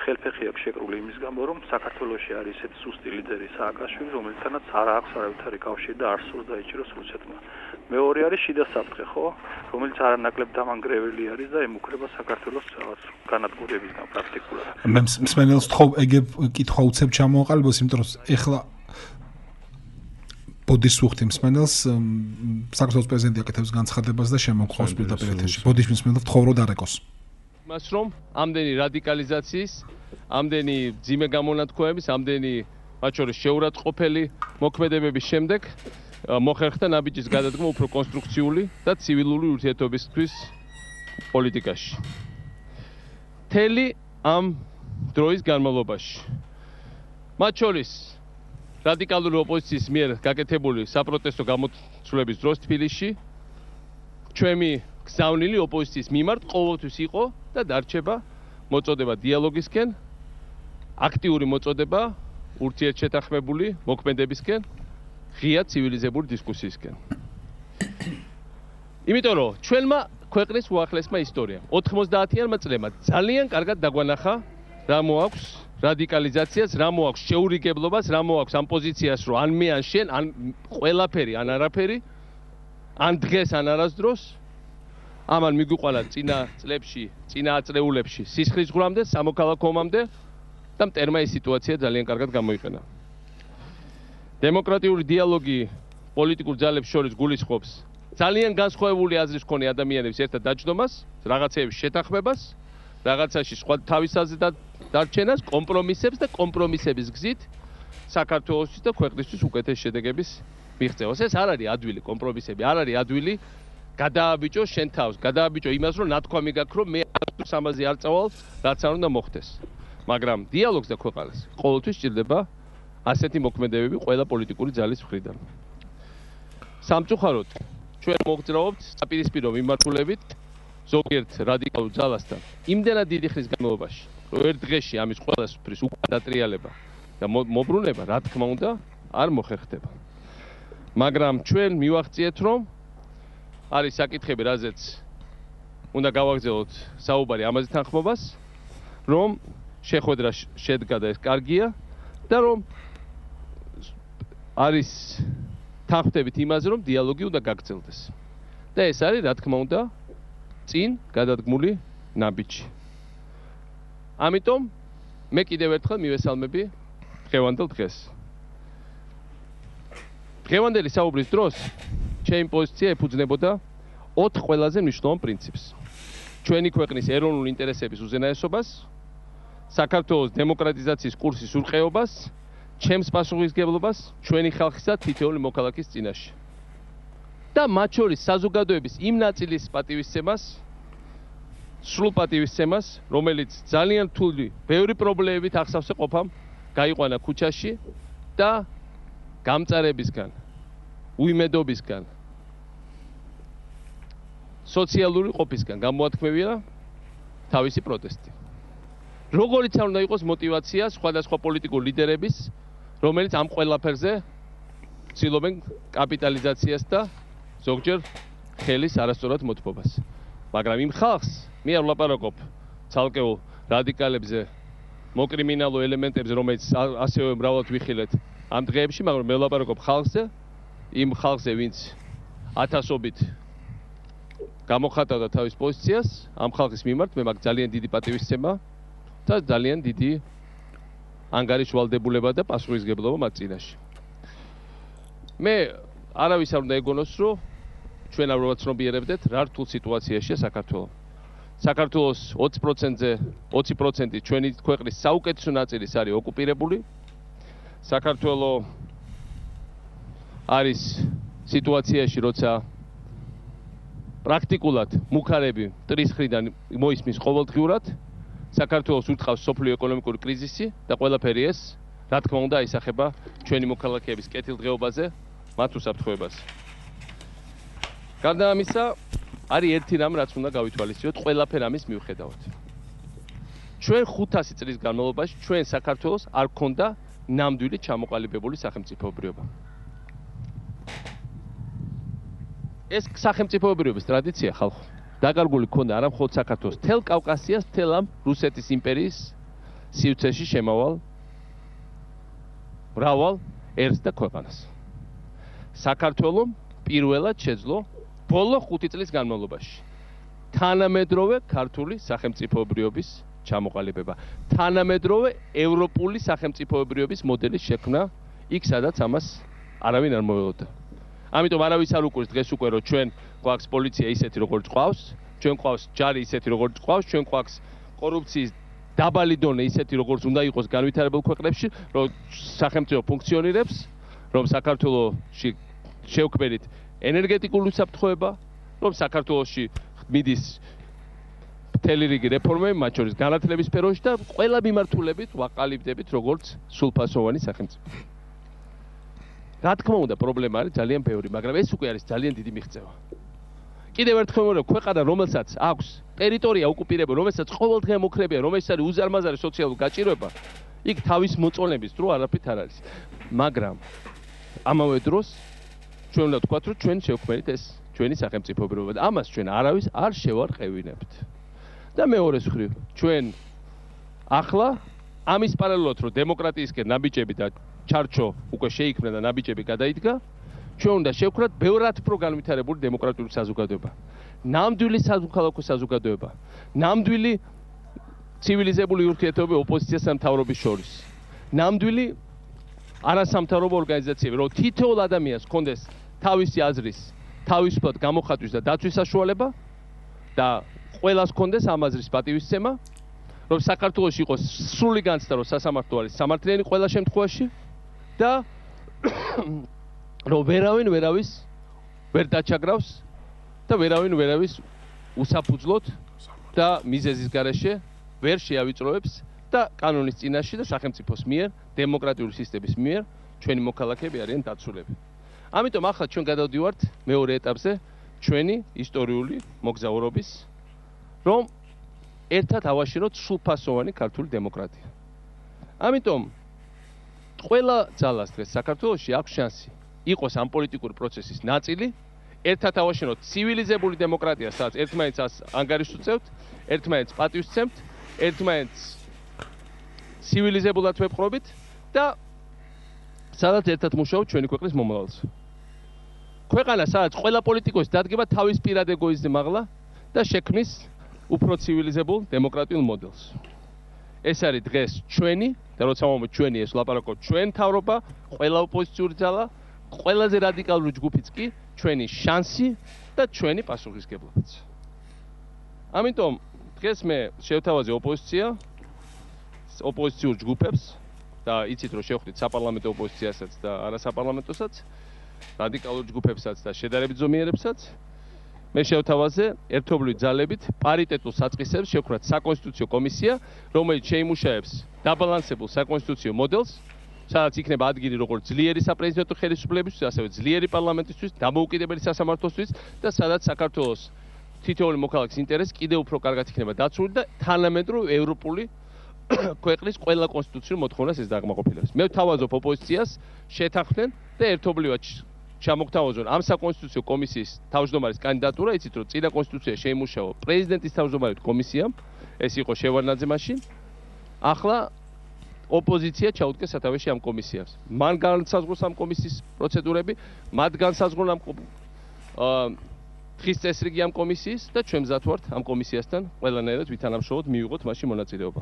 ხელფეხი აქვს შეკრული იმის გამო, რომ საქართველოში არის ესეთი სუსტი ლიდერი სააკაშვილი, რომელთანაც არ აქვს არავითარი კავშირი და არ სურს დაიჭიროს რუსეთმა. მეორე არის შიდა საფრთხე, ხო, რომელიც არანაკლებ დამანგრეველი არის და ემუქრება საქართველოს რაღაც განადგურებისგან პრაქტიკულად. მე მსმენელს ეგ კითხვა უცებ ჩამოაყალიბოს, იმიტომ რომ ეხლა ბოდიშს ვუხდი მსმენელს, საქართველოს პრეზიდენტი აკეთებს განცხადებას და შემოგხვავს პირდაპირ ეთერში. ბოდიშის მსმენელს ვთხოვ რომ დარეკოს. მას რომ ამდენი რადიკალიზაციის, ამდენი ძიმე გამონათქვამების, ამდენი მათ შორის შეურაცხყოფელი მოქმედებების შემდეგ მოხერხდა ნაბიჯის გადადგმა უფრო კონსტრუქციული და ცივილური ურთიერთობისთვის პოლიტიკაში. მთელი ამ დროის განმავლობაში მათ შორის რადიკალური ოპოზიციის მიერ გაკეთებული საპროტესტო გამოცვლების დროს თბილისში ჩვენი გზავნილი ოპოზიციის მიმართ ყოველთვის იყო და დარჩება მოწოდება დიალოგისკენ, აქტიური მოწოდება ურთიერთშეთანხმებული მოქმედებისკენ, ღია ცივილიზებული დისკუსიისკენ. იმიტომ რომ ჩვენმა ქვეყნის უახლესმა ისტორიამ 90-იანმა წლებმა ძალიან კარგად დაგვანახა რა მოაქვს რადიკალიზაციას, რა მოაქვს შეურიგებლობას, რა მოაქვს ამ პოზიციას, რომ ან მე ან შენ, ან ყველაფერი, ან არაფერი, ან დღეს, ან არასდროს. ამან მიგვიყვანა წინა წლებში, წინა აწლეულებში სისხლის ღვრამდე, სამოქალაქო ომამდე და მტერმა ეს სიტუაცია ძალიან კარგად გამოიყენა. დემოკრატიული დიალოგი პოლიტიკურ ძალებს შორის გულისხმობს ძალიან განსხვავებული აზრის მქონე ადამიანების ერთად დაჯდომას, რაღაცეების შეთანხმებას, რაღაცაში სხვა თავის აზრით დარჩენას, კომპრომისებს და კომპრომისების გზით საქართველოსთვის და ქვეყნისთვის უკეთეს შედეგების მიღწევას. ეს არ არის ადვილი კომპრომისები, არ არის ადვილი გადააბიჭო შენ თავს, გადააბიჭო იმას, რომ ნათქვამი გაქვს, რომ მე ამაზე არ წავალ, რაც არ უნდა მოხდეს. მაგრამ დიალოგს და ქვეყანას ყოველთვის სჭირდება ასეთი მოქმედებები ყველა პოლიტიკური ძალის მხრიდან. სამწუხაროდ, ჩვენ მოგძრავებთ საპირისპირო მიმართულებით ზოგიერთ რადიკალურ ძალასთან. იმდენად დიდი ხნის განმავლობაში, რომ ერთ დღეში ამის ყველასთვის უკან დატრიალება და მობრუნება, რა თქმა უნდა, არ მოხერხდება. მაგრამ ჩვენ მივახციეთ, რომ არის საკითხები, რაზეც უნდა გავაგზავნოთ საუბარი ამაზე თანხმობას, რომ შეხვედრა შედგა და ეს კარგია და რომ არის თანხმდებით იმაზე, რომ დიალოგი უნდა გაგრძელდეს. და ეს არის, რა თქმა უნდა, წინ გადადგმული ნაბიჯი. ამიტომ მე კიდევ ერთხელ მივესალმები დღევანდელ დღეს. დღევანდელი საუბრის დროს ჩემი პოზიცია ეფუძნებოდა 4 ყველაზე მნიშვნელოვან პრინციპს. ჩვენი ქვეყნის ეროვნული ინტერესების უზენაესობას, საქართველოს დემოკრატიზაციის კურსის ურყეობას, ჩემს პასუხისმგებლობას ჩვენი ხალხისა თითოეული მოქალაქის წინაშე. და მათ შორის საზოგადოების იმ ნაწილის პატივისცემას, სრულ პატივისცემას, რომელიც ძალიან რთული, ბევრი პრობლემებით ახსავსე ყოფამ, გაიყვანა ქუჩაში და გამწარებისგან, უიმედობისგან, სოციალური ყოფისგან გამოათქმევია თავისი პროტესტი. როგორიც არ უნდა იყოს მოტივაცია სხვადასხვა პოლიტიკურ ლიდერების, რომელიც ამ ყველაფერზე ცდილობენ კაპიტალიზაციას და ზოგჯერ ხელის არასწორად მოთმობას. მაგრამ იმ ხალხს მე არ ვლაპარაკობ ცალკეულ რადიკალებზე, მოკრიმინალო ელემენტებზე, რომელიც ასევე მრავლად ვიხილეთ ამ დღეებში, მაგრამ მე ვლაპარაკობ ხალხზე, იმ ხალხზე, ვინც ათასობით გამოხატავდა თავის პოზიციას, ამ ხალხის მიმართ მე მაქვს ძალიან დიდი პატივისცემა და ძალიან დიდი ანგარიშვალდებულება და პასუხისმგებლობა მათ წინაშე. მე არავის არ უნდა ეგონოს, რომ ჩვენ არ ვაცნობიერებდეთ რა რთულ სიტუაციაშია საქართველო. საქართველოს 20% ჩვენი ქვეყნის საუკეთესო ნაწილის არის ოკუპირებული. საქართველო არის სიტუაციაში, როცა პრაქტიკულად მუქარები მტრის მხრიდან მოისმის ყოველდღიურად. საქართველოს ურტყავს სოფლიო ეკონომიკური კრიზისი და ყველაფერი ეს, რა თქმა უნდა, აისახება ჩვენი მოქალაქეების კეთილდღეობაზე, მათ უსაფრთხოებას. გარდა ამისა, არის ერთი რამ, რაც უნდა გავითვალისწინოთ ყველაფერ ამის მიუხედავად. ჩვენ 500 წლის განმავლობაში ჩვენ საქართველოს არ ქონდა ნამდვილი ჩამოყალიბებული სახელმწიფოებრიობა. ეს სახელმწიფოებრიობის ტრადიცია ხალხო დაკარგული ქონდა არა მხოლოდ საქართველოს, თელ კავკასიას, თელ ამ რუსეთის იმპერიის სივრცეში შემავალ მრავალ ერს და ქვეყანას. საქართველომ პირველად შეძლო ბოლო 5 წლის განმავლობაში თანამედროვე ქართული სახელმწიფოებრიობის ჩამოყალიბება, თანამედროვე ევროპული სახელმწიფოებრიობის მოდელის შექმნა იქ, სადაც ამას არავინ არ მოველოდა. ამიტომ არავის არ უკვირს დღეს უკვე, რომ ჩვენ გვაქვს პოლიცია ისეთი, როგორც ყავს, ჩვენ ყავს ჯარი ისეთი, როგორც ყავს, ჩვენ ყავს კორუფციის დაბალი დონე ისეთი, როგორც უნდა იყოს განვითარებულ ქვეყნებში, რომ სახელმწიფო ფუნქციონირებს, რომ საქართველოში შევქმნით ენერგეტიკული უსაფრთხოება, რომ საქართველოში მიდის მთელი რიგი რეფორმები, მათ შორის განათლების სფეროში და ყველა მიმართულებით ვაყალიბდებით როგორც სრულფასოვანი სახელმწიფო. რა თქმა უნდა, პრობლემა არის ძალიან ბევრი, მაგრამ ეს უკვე არის ძალიან დიდი მიღწევა. კიდევ ერთხელ ვიმეორებ, ქვეყანა, რომელსაც აქვს ტერიტორია ოკუპირებული, რომელსაც ყოველდღე მოკრებია, რომელსაც არის უზარმაზარი სოციალური გაჭირვება, იქ თავის მოწონების დრო არაფრით არ არის. მაგრამ ამავე დროს ჩვენ უნდა ვთქვათ, რომ ჩვენ შევქმნით ეს ჩვენი სახელმწიფოებრიობა და ამას ჩვენ არავის არ შევარყევინებთ. და მეორეს მხრივ, ჩვენ ახლა ამის პარალელურად, რომ დემოკრატიისკენ ნაბიჯები და ჩარჩო უკვე შეიქმნა და ნაბიჯები გადაიდგა, ჩვენ უნდა შევქმნათ ბევრად უფრო განვითარებული დემოკრატიული საზოგადოება. ნამდვილი სამოქალაქო საზოგადოება, ნამდვილი ცივილიზებული ურთიერთობები ოპოზიციასა და მთავრობის შორის. ნამდვილი არასამთავრობო ორგანიზაციები, რომ თითოეულ ადამიანს ჰქონდეს თავისი აზრის, თავისუფლად გამოხატვის და დაცვის საშუალება და ყველას ჰქონდეს ამ აზრის პატივისცემა, რომ საქართველოში იყოს სრული განცდა, რომ სასამართლო არის სამართლიანი ყველა შემთხვევაში და რომ ვერავის ვერ დაჩაგრავს და ვერავის უსაფუძვლოდ და მიზეზის გარეშე ვერ შეავიწროებს და კანონის წინაშე და სახელმწიფოს მიერ, დემოკრატიული სისტემის მიერ ჩვენი მოქალაქეები არიან დაცულები. ამიტომ ახლა ჩვენ გადავდივართ მეორე ეტაპზე ჩვენი ისტორიული მოგზაურობის, რომ ერთად ავაშენოთ სრულფასოვანი ქართული დემოკრატია. ამიტომ ყველა ძალას დღეს საქართველოში აქვს შანსი იყოს ამ პოლიტიკური პროცესის ნაწილი, ერთად ავაშენოთ ცივილიზებული დემოკრატია, სადაც ერთმანეთს ანგარიშს უწევთ, ერთმანეთს პატივს ვცემთ, ერთმანეთს ცივილიზებულად ვეპყრობით და სადაც ერთად მუშაობთ ჩვენი ქვეყნის მომავალზე. ქვეყანა, სადაც ყველა პოლიტიკოსი დადგება თავის პირად ეგოიზმზე მაღლა და შექმნის უფრო ცივილიზებულ დემოკრატიულ მოდელს. ეს არის დღეს ჩვენი და როცა მომეთ ჩვენი ეს ვლაპარაკობ ჩვენ მთავრობა, ყველა ოპოზიციური ძალა, ყველაზე რადიკალური ჯგუფიც კი ჩვენი შანსი და ჩვენი პასუხისმგებლობაც. ამიტომ დღეს მე შევთავაზე ოპოზიციურ ჯგუფებს და იცით რომ შევხვდით საპარლამენტო ოპოზიციასაც და არასაპარლამენტოსაც, რადიკალურ ჯგუფებსაც და შედარებით ზომიერებსაც. მე შევთავაზე ერთობლივი ძალებით პარიტეტულ საწყისებს შევქმნათ საკონსტიტუციო კომისია, რომელიც შეიმუშაებს დაბალანსებულ საკონსტიტუციო მოდელს, სადაც იქნება ადგილი როგორც ძლიერი საპრეზიდენტო ხელისუფლებისთვის, ასევე ძლიერი პარლამენტისთვის, დამოუკიდებელი სასამართლოსთვის და სადაც საქართველოს თითოეული მოქალაქის ინტერესი კიდევ უფრო კარგად იქნება დაცული და თანამედროვე ევროპული ქვეყნის ყველა კონსტიტუციურ მოთხოვნას ეს დაკმაყოფილებს. მე ვთავაზობ ოპოზიციას შეთანხმდნენ და ერთობლივად ჩამოგთავაზონ ამ საკონსტიტუციო კომისიის თავმჯდომარის კანდიდატურა, იცით რომ წინა კონსტიტუცია შეიმუშავა პრეზიდენტის თავმჯდომარედ კომისიამ, ეს იყო შევარდნაძე მაშინ. ახლა ოპოზიცია ჩაუდგეს სათავეში ამ კომისიას. მან განსაზღვროს ამ კომისიის პროცედურები, მათ განსაზღვრონ ამ დღის წესრიგი ამ კომისიის და ჩვენ მზად ვართ ამ კომისიასთან ყველანაირად ვითანამშრომლოთ, მივიღოთ მასში მონაწილეობა.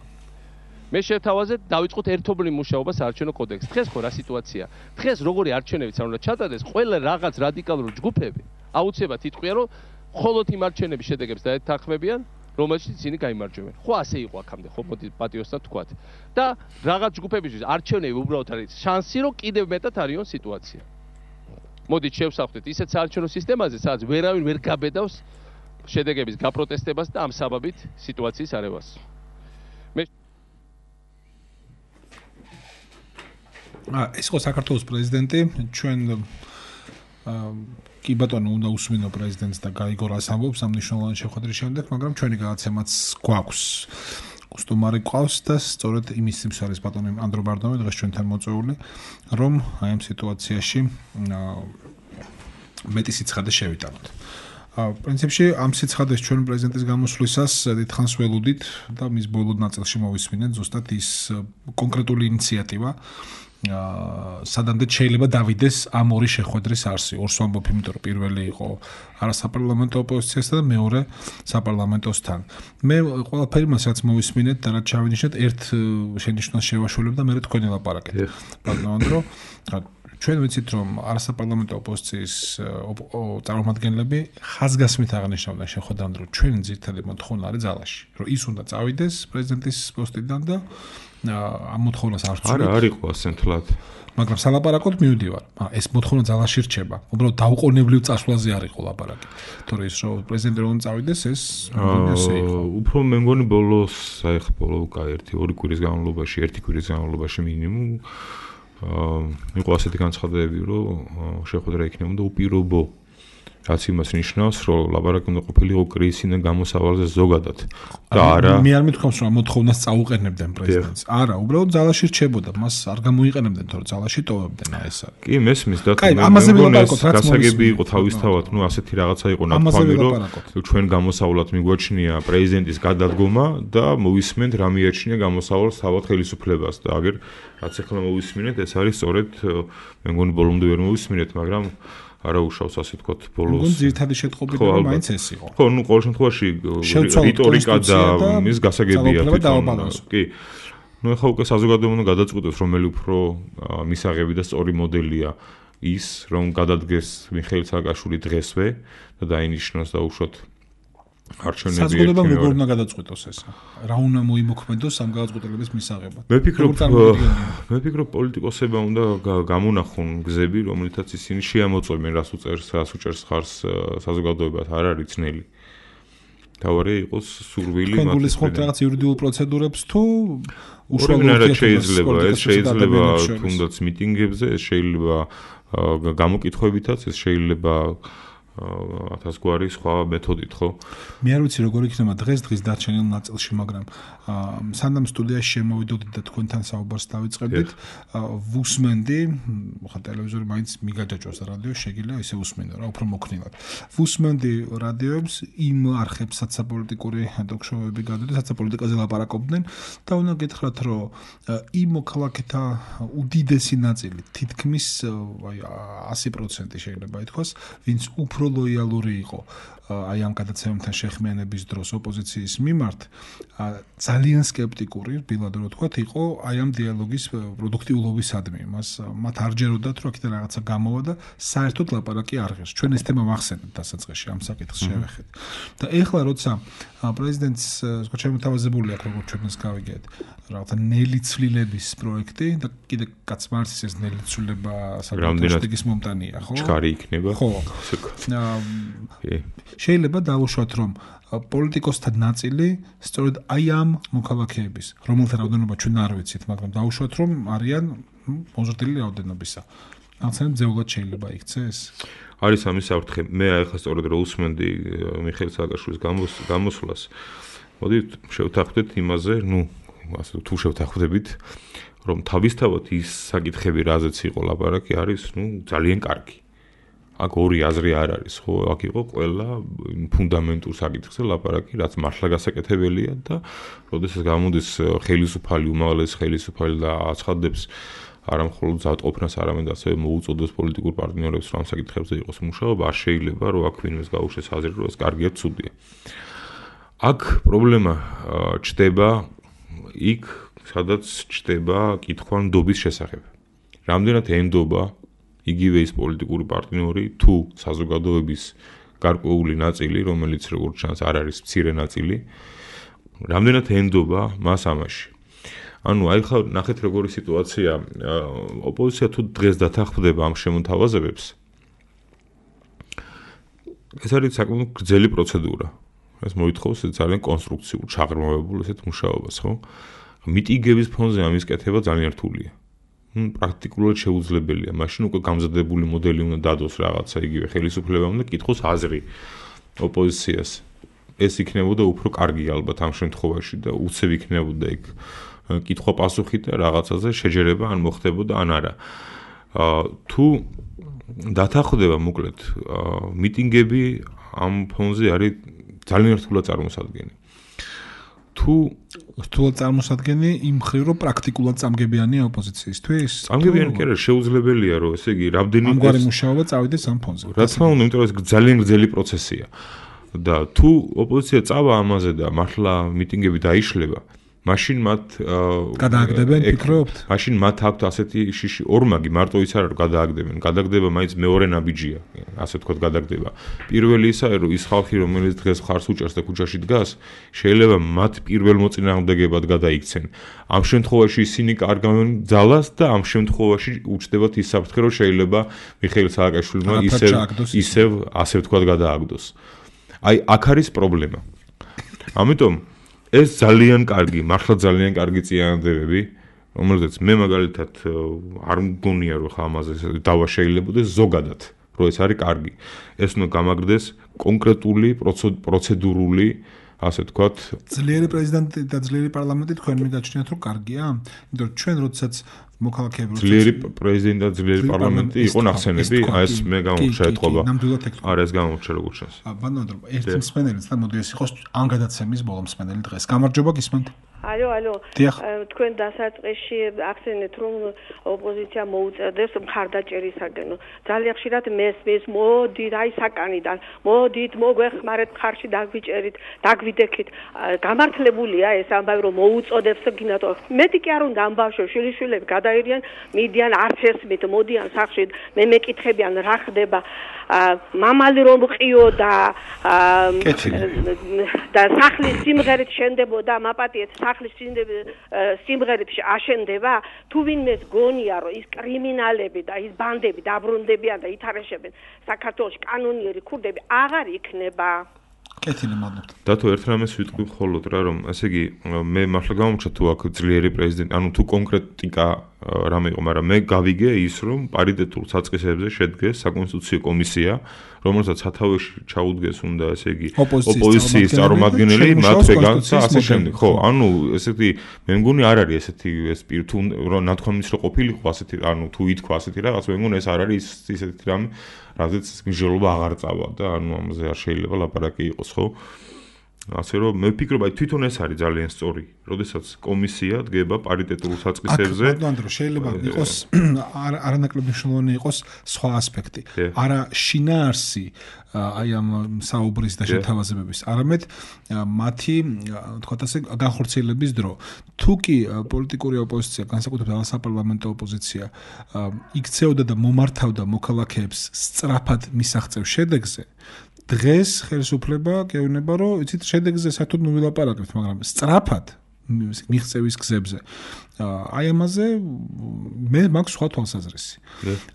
მე შევთავაზეთ დავიწყოთ ერთობლივ მუშაობას საარჩევნო კოდექსში. დღეს ხო რა სიტუაცია? დღეს როგორი არჩევნებიც არ უნდა ჩატარდეს, ყველა რაღაც რადიკალური ჯგუფები აუცილებლად იტყვიან, რომ მხოლოდ იმ არჩევნების შედეგებს დაეთანხმებიან, რომელშიც ისინი გაიმარჯვებენ. ხო ასე იყო აქამდე, ხო მოდი პატიოსთან თქვათ. და რაღაც ჯგუფებისთვის არჩევნები უბრალოდ არის შანსი, რომ კიდევ მეტად არიონ სიტუაცია. მოდით შევსახდეთ ისეთ საარჩევნო სისტემაზე, სადაც ვერავინ ვერ გაბედავს შედეგების გაპროტესტებას და ამ საბაბით სიტუაციის არევას. ეს იყო საქართველოს პრეზიდენტი, ჩვენ კი ბატონო უნდა უსმინო პრეზიდენტს და გაიგო რას ამბობს ამ მნიშვნელოვანი შეხვედრის შემდეგ, მაგრამ ჩვენი გადაცემაც გვაქვს. უსტუმარი ყავს და სწორედ იმის სიმს არის ბატონი ანდრო ბარდომი დღეს ჩვენთან მოწვეული, რომ აი ამ სიტუაციაში მეტი სიცხადე შევიტანოთ. პრინციპში ამ სიცხადეს ჩვენ პრეზიდენტის გამოსვლისას დიდხანს ველოდით და მის ბოლო ნაწილში მოვისმინეთ ზუსტად ის კონკრეტული ინიციატივა სადამდე შეიძლება დავიდეს ამ ორი შეხვედრის არსი. ორს ვამბობ, იმიტომ რომ პირველი იყო არასაპარლამენტო ოპოზიციასთან და მეორე საპარლამენტოსთან. მე ყველაფერი მასაც მოვისმინეთ და რაც ჩავინიშნეთ, ერთ შენიშვნას შევაშველებ და მე თქვენი ლაპარაკეთ. ბატონო ანდრო, ჩვენ ვიცით რომ არასაპარლამენტო ოპოზიციის წარმომადგენლები ხაზგასმით აღნიშნავდნენ შეხვედრამდე, რომ ჩვენი ძირითადი მოთხოვნა არის ძალაში, რომ ის უნდა წავიდეს პრეზიდენტის პოსტიდან და ამ მოთხოვნას არ ვწვევთ. არ იყო ასენთლად. მაგრამ სალაპარაკოდ მივდივარ. ეს მოთხოვნა ძალაში რჩება. უბრალოდ დაუყოვნებლივ წასვლაზე არ იყო ლაპარაკი. თორე ის რომ პრეზიდენტი რომ წავიდეს, ეს უფრო მე მგონი ბოლოს, აი ხა ბოლო ერთი კვირის განმავლობაში, ერთი კვირის განმავლობაში მინიმუმ იყო ასეთი განცხადებები, რომ შეხვედრა იქნებოდა უპირობო. რაც იმას ნიშნავს, რომ ლაპარაკი უნდა ყოფილიყო კრიზისიდან გამოსავალზე ზოგადად. და არა მე არ მithქვამს, რომ მოთხოვნას წაუყენებდნენ პრეზიდენტს. არა, უბრალოდ ძალაში რჩებოდა, მას არ გამოიყენებდნენ, თორე ძალაში ტოვებდნენ ეს არის. კი, მესმის და გასაგები იყო თავისთავად, ნუ ასეთი რაღაცა იყო ნათქვამი, რომ ჩვენ გამოსავალად მიგვაჩნია პრეზიდენტის გადადგომა და მოვისმენთ რა მიაჩნია გამოსავალს თავად ხელისუფლებას და აგერ რაც ახლა მოვისმინეთ, ეს არის სწორედ მე მგონი ბოლომდე ვერ მოვისმინეთ, მაგრამ არა უშავს ასე ვთქვათ ბოლოს. მგონი ძირითადი შეტყობინება მაინც ეს იყო. ხო, ნუ ყოველ შემთხვევაში რიტორიკა და მის გასაგებია თვითონ. კი. ნუ ახლა უკვე საზოგადოება უნდა გადაწყვიტოს, რომელი უფრო მისაღები და სწორი მოდელია ის, რომ გადადგეს მიხეილ სააკაშვილი დღესვე და დაინიშნოს და უშოთ არჩევნები ერთმანეთს. საზოგადოებამ როგორ უნდა გადაწყვიტოს ეს? რა უნდა მოიმოქმედოს ამ გადაწყვეტილების მისაღებად? მე ვფიქრობ პოლიტიკოსებმა უნდა გამონახონ გზები, რომელთაც ისინი შეამოწმებენ, რას უჭერს ხარს საზოგადოებას, არ არის ძნელი. თავარი იყოს სურვილი მათ. გულისხმობთ რაღაც იურიდიულ პროცედურებს თუ უშუალოდ შეიძლება თუნდაც მიტინგებზე, ეს შეიძლება გამოკითხვებითაც, ეს შეიძლება 1000 გვარი სხვა მეთოდით, ხო? მე არ ვიცი როგორ იქნება დღის დარჩენილ ნაწილში, მაგრამ სანდამ სტუდიაში შემოვიდოდით და თქვენთან საუბარს დავიწყებდით, ვუსმენდი, ხა ტელევიზორი მაინც მიგაჯაჭვას რადიო, შეგიძლია ისე უსმენო რა, უფრო მოქნილად. ვუსმენდი რადიოებს იმ არხებსაც საპოლიტიკური ტოქ-შოუები გადადის, სადაც პოლიტიკაზე ლაპარაკობდნენ და უნდა გითხრათ, რომ იმ მოქალაქეთა უდიდესი ნაწილი, თითქმის აი 100% შეიძლება ითქვას, ვინც უფრო ლოიალური იყო აი ამ გადაცემებთან შეხმიანების დროს ოპოზიციის მიმართ, ძალიან სკეპტიკური, ბილად რო ვთქვათ, იყო აი ამ დიალოგის პროდუქტიულობისადმი. მათ არ ჯეროდათ, რომ აქედან რაღაცა გამოვა და საერთოდ ლაპარაკი არ ღირს. ჩვენ ეს თემა მახსენებთ დასაწყისში ამ საკითხს შევეხეთ. და ეხლა როცა პრეზიდენტს შემოთავაზებული აქვს, როგორც ჩვენს გავიგეთ, რაღაცა ნელი ცვლილების პროექტი და კიდე კაც მარცის ეს ნელი ცვლილება საკუთრების მომტანია, ხო? ჩქარი იქნება. ხო. შეიძლება დავუშვათ, რომ პოლიტიკოსთა ნაწილი სწორედ აი ამ მოქალაქეების, რომელთა რაოდენობა ჩვენ არ ვიცით, მაგრამ დავუშვათ, რომ არიან მოზრდილი რაოდენობისა. რაღაცნაირად ძეულად შეიძლება იქცეს? არის ამის საფრთხე. მე ახლა სწორედ რო უსმენდი მიხეილ სააკაშვილის გამოსვლას, მოდით შევთანხმდეთ იმაზე, ნუ ასე თუ შევთანხმდებით, რომ თავისთავად ის საკითხები, რაზეც იყო ლაპარაკი, არის, ძალიან კარგი. აქ ორი აზრი არ არის, ხო, აქ იყო ყველა ფუნდამენტურ საკითხზე ლაპარაკი, რაც მართლა გასაკეთებელია და როდესაც გამოდის ხელისუფალი, უმაღლესი ხელისუფალი და აცხადებს არა მხოლოდ ზავტყოფნას, არამედ ასევე მოუწოდებს პოლიტიკურ პარტნიორებს, რომ ამ საკითხებზე იყოს მუშაობა, არ შეიძლება რომ აქ ვინმეს გაუშვეს აზრი, რომ ეს კარგია, ცუდია. აქ პრობლემა ჩდება იქ, სადაც ჩდება კითხვა ნდობის შესახებ. რამდენად ენდობა იგივე ის პოლიტიკური პარტნიორი თუ საზოგადოების გარკვეული ნაწილი, რომელიც როგორც ჩანს არ არის მცირე ნაწილი, რამდენად ენდობა მას ამაში. ანუ აი ხა ნახეთ როგორი სიტუაცია, ოპოზიცია თუ დღეს დათანხმდება ამ შემოთავაზებებს, ეს არის საკმაოდ გრძელი პროცედურა. ეს მოითხოვს ძალიან კონსტრუქციულ, ჩაღრმავებულ ესეთ მუშაობას, ხო? მიტინგების ფონზე ამის კეთება ძალიან რთულია. პრაქტიკულად შეუძლებელია. მაშინ უკვე გამზადებული მოდელი უნდა დადოს რაღაცა იგივე ხელისუფლებამ და კითხოს აზრი ოპოზიციას. ეს იქნებოდა უფრო კარგი ალბათ ამ შემთხვევაში და უცებ იქნებოდა იქ კითხვა-პასუხი და რაღაცაზე შეჯერება ან მოხდებოდა ან არა. თუ დათანხმდება მოკლედ მიტინგები ამ ფონზე არის ძალიან რთულად წარმოსადგენი. თუ რთულად წარმოსადგენი იმ მხრივ რომ პრაქტიკულად წამგებიანია ოპოზიციისთვის? წამგებიანი კი არა, შეუძლებელია რომ ესე იგი რამდენი ამგვარი მუშაობა წავიდეს ამ ფონზე. რა თქმა უნდა, იმიტომ რომ ეს ძალიან გრძელი პროცესია. და თუ ოპოზიცია წავა ამაზე და მართლა მიტინგები დაიშლება, მაშინ მათ გადააგდებენ, ფიქრობთ? მაშინ მათ აქვთ ასეთი შიში ორმაგი, მარტო ის არა რომ გადააგდებენ. გადაგდება მაინც მეორე ნაბიჯია, ასე ვთქვათ, გადაგდება. პირველი ისაა, რომ ის ხალხი, რომელიც დღეს ხარს უჭერს და ქუჩაში დგას, შეიძლება მათ პირველ მოწინააღმდეგებად გადაიქცენ. ამ შემთხვევაში ისინი კარგავენ ძალას და ამ შემთხვევაში უჩნდებათ ის საფრთხე, რომ შეიძლება მიხეილ სააკაშვილმა ისევ ასე ვთქვათ გადააგდოს. აი, აქ არის პრობლემა. ამიტომ ეს ძალიან კარგი, მართლა ძალიან კარგი წინადადებები, რომელზეც მე მაგალითად არ მგონია რომ ხა ამაზე დავა შეიძლებაოდეს ზოგადად, რომ ეს არის კარგი. ეს უნდა გამაგრდეს კონკრეტული პროცედურული, ასე ვთქვათ, ძლიერი პრეზიდენტი და ძლიერი პარლამენტი თქვენ მიგაჩნიათ რომ კარგია? იმიტომ რომ ჩვენ როდესაც მოქალაქეები ძლიერი პრეზიდენტი და ძლიერი პარლამენტი იყო ნახსენები, აი ეს მე გამოვჩა ეთყობა. არა ეს გამოვჩა როგორც ჩანს. ბანანო ერთი მსმენელიც და მოდი ეს იყოს ამ გადაცემის ბოლო მსმენელი დღეს. გამარჯობა გისმენთ? ალო, თქვენ დასაწყისში ახსენეთ რომ ოპოზიცია მოუწოდებს მხარდაჭერისაგან. ძალიან ხშირად მესმის, მოდი რაი საკანიდან, მოდით მოგვეხმარეთ მხარში დაგვიჭერით, დაგვიდექით. გამართლებულია ეს ამბავი რომ მოუწოდებს გინათ. მეტი კი არ უნდა ამბავშო შვილიშვილები გადაირიან, მიდიან არც ესმით, მოდიან სახში, მე მეკითხებიან რა ხდება. მამალი რომ ყიო და სახლის სიმღერით შენდებოდა მაპატიეთ სახლის სიმღერით აშენდება თუ ვინმეს გონია რომ ის კრიმინალები და ის ბანდები დაბრუნდებიან და ითარეშებენ საქართველოს კანონიერი ქურდები აღარ იქნება. კეთილი, მადლობთ. დათო ერთ რამეს ვიტყვი მხოლოდ რა რომ ესე იგი მე მართლა გამომჩა თუ აქ ძლიერი პრეზიდენტი, ანუ თუ კონკრეტიკა რამე იყო, მაგრამ მე გავიგე ის რომ პარიტეტულ საწყისებზე შედგეს საკონსტიტუციო კომისია, რომელსაც სათავეში ჩაუდგეს უნდა ესე იგი ოპოზიციის წარმომადგენელი, მათ ვეგანს და ასე შემდეგ. ხო, ანუ ესეთი მე მგონი არ არის ესეთი ეს თუ ნათქვამის რო ყოფილიყო ასეთი, ანუ თუ ითქვა ასეთი რაღაც, მე მგონი ეს არ არის ისეთი რამე, რაზეც მსჯელობა აღარ წავა და ანუ ამაზე არ შეიძლება ლაპარაკი იყოს, ხო? ასე რომ მე ვფიქრობ, აი თვითონ ეს არის ძალიან სწორი, როდესაც კომისია დგება პარიტეტულ საწყისებზე. აკ შეიძლება იყოს არანაკლებ მნიშვნელოვანი იყოს სხვა ასპექტი. არა შინაარსი აი ამ საუბრის და შეთავაზებების, არამედ მათი, თქვათ ასე, განხორციელების დრო. თუ კი პოლიტიკური ოპოზიცია, განსაკუთრებით საპარლამენტო ოპოზიცია, იქცეოდა და მომართავდა მოქალაქეებს სწრაფად მისაღწევ შედეგზე, დღეს ხელისუფლება გეუბნება, რომ იცით შედეგზე საერთოდ ნუ ვილაპარაკებთ, მაგრამ სწრაფად მიღწევის გზებზე. აი ამაზე მე მაქვს სხვა თვალსაზრისი.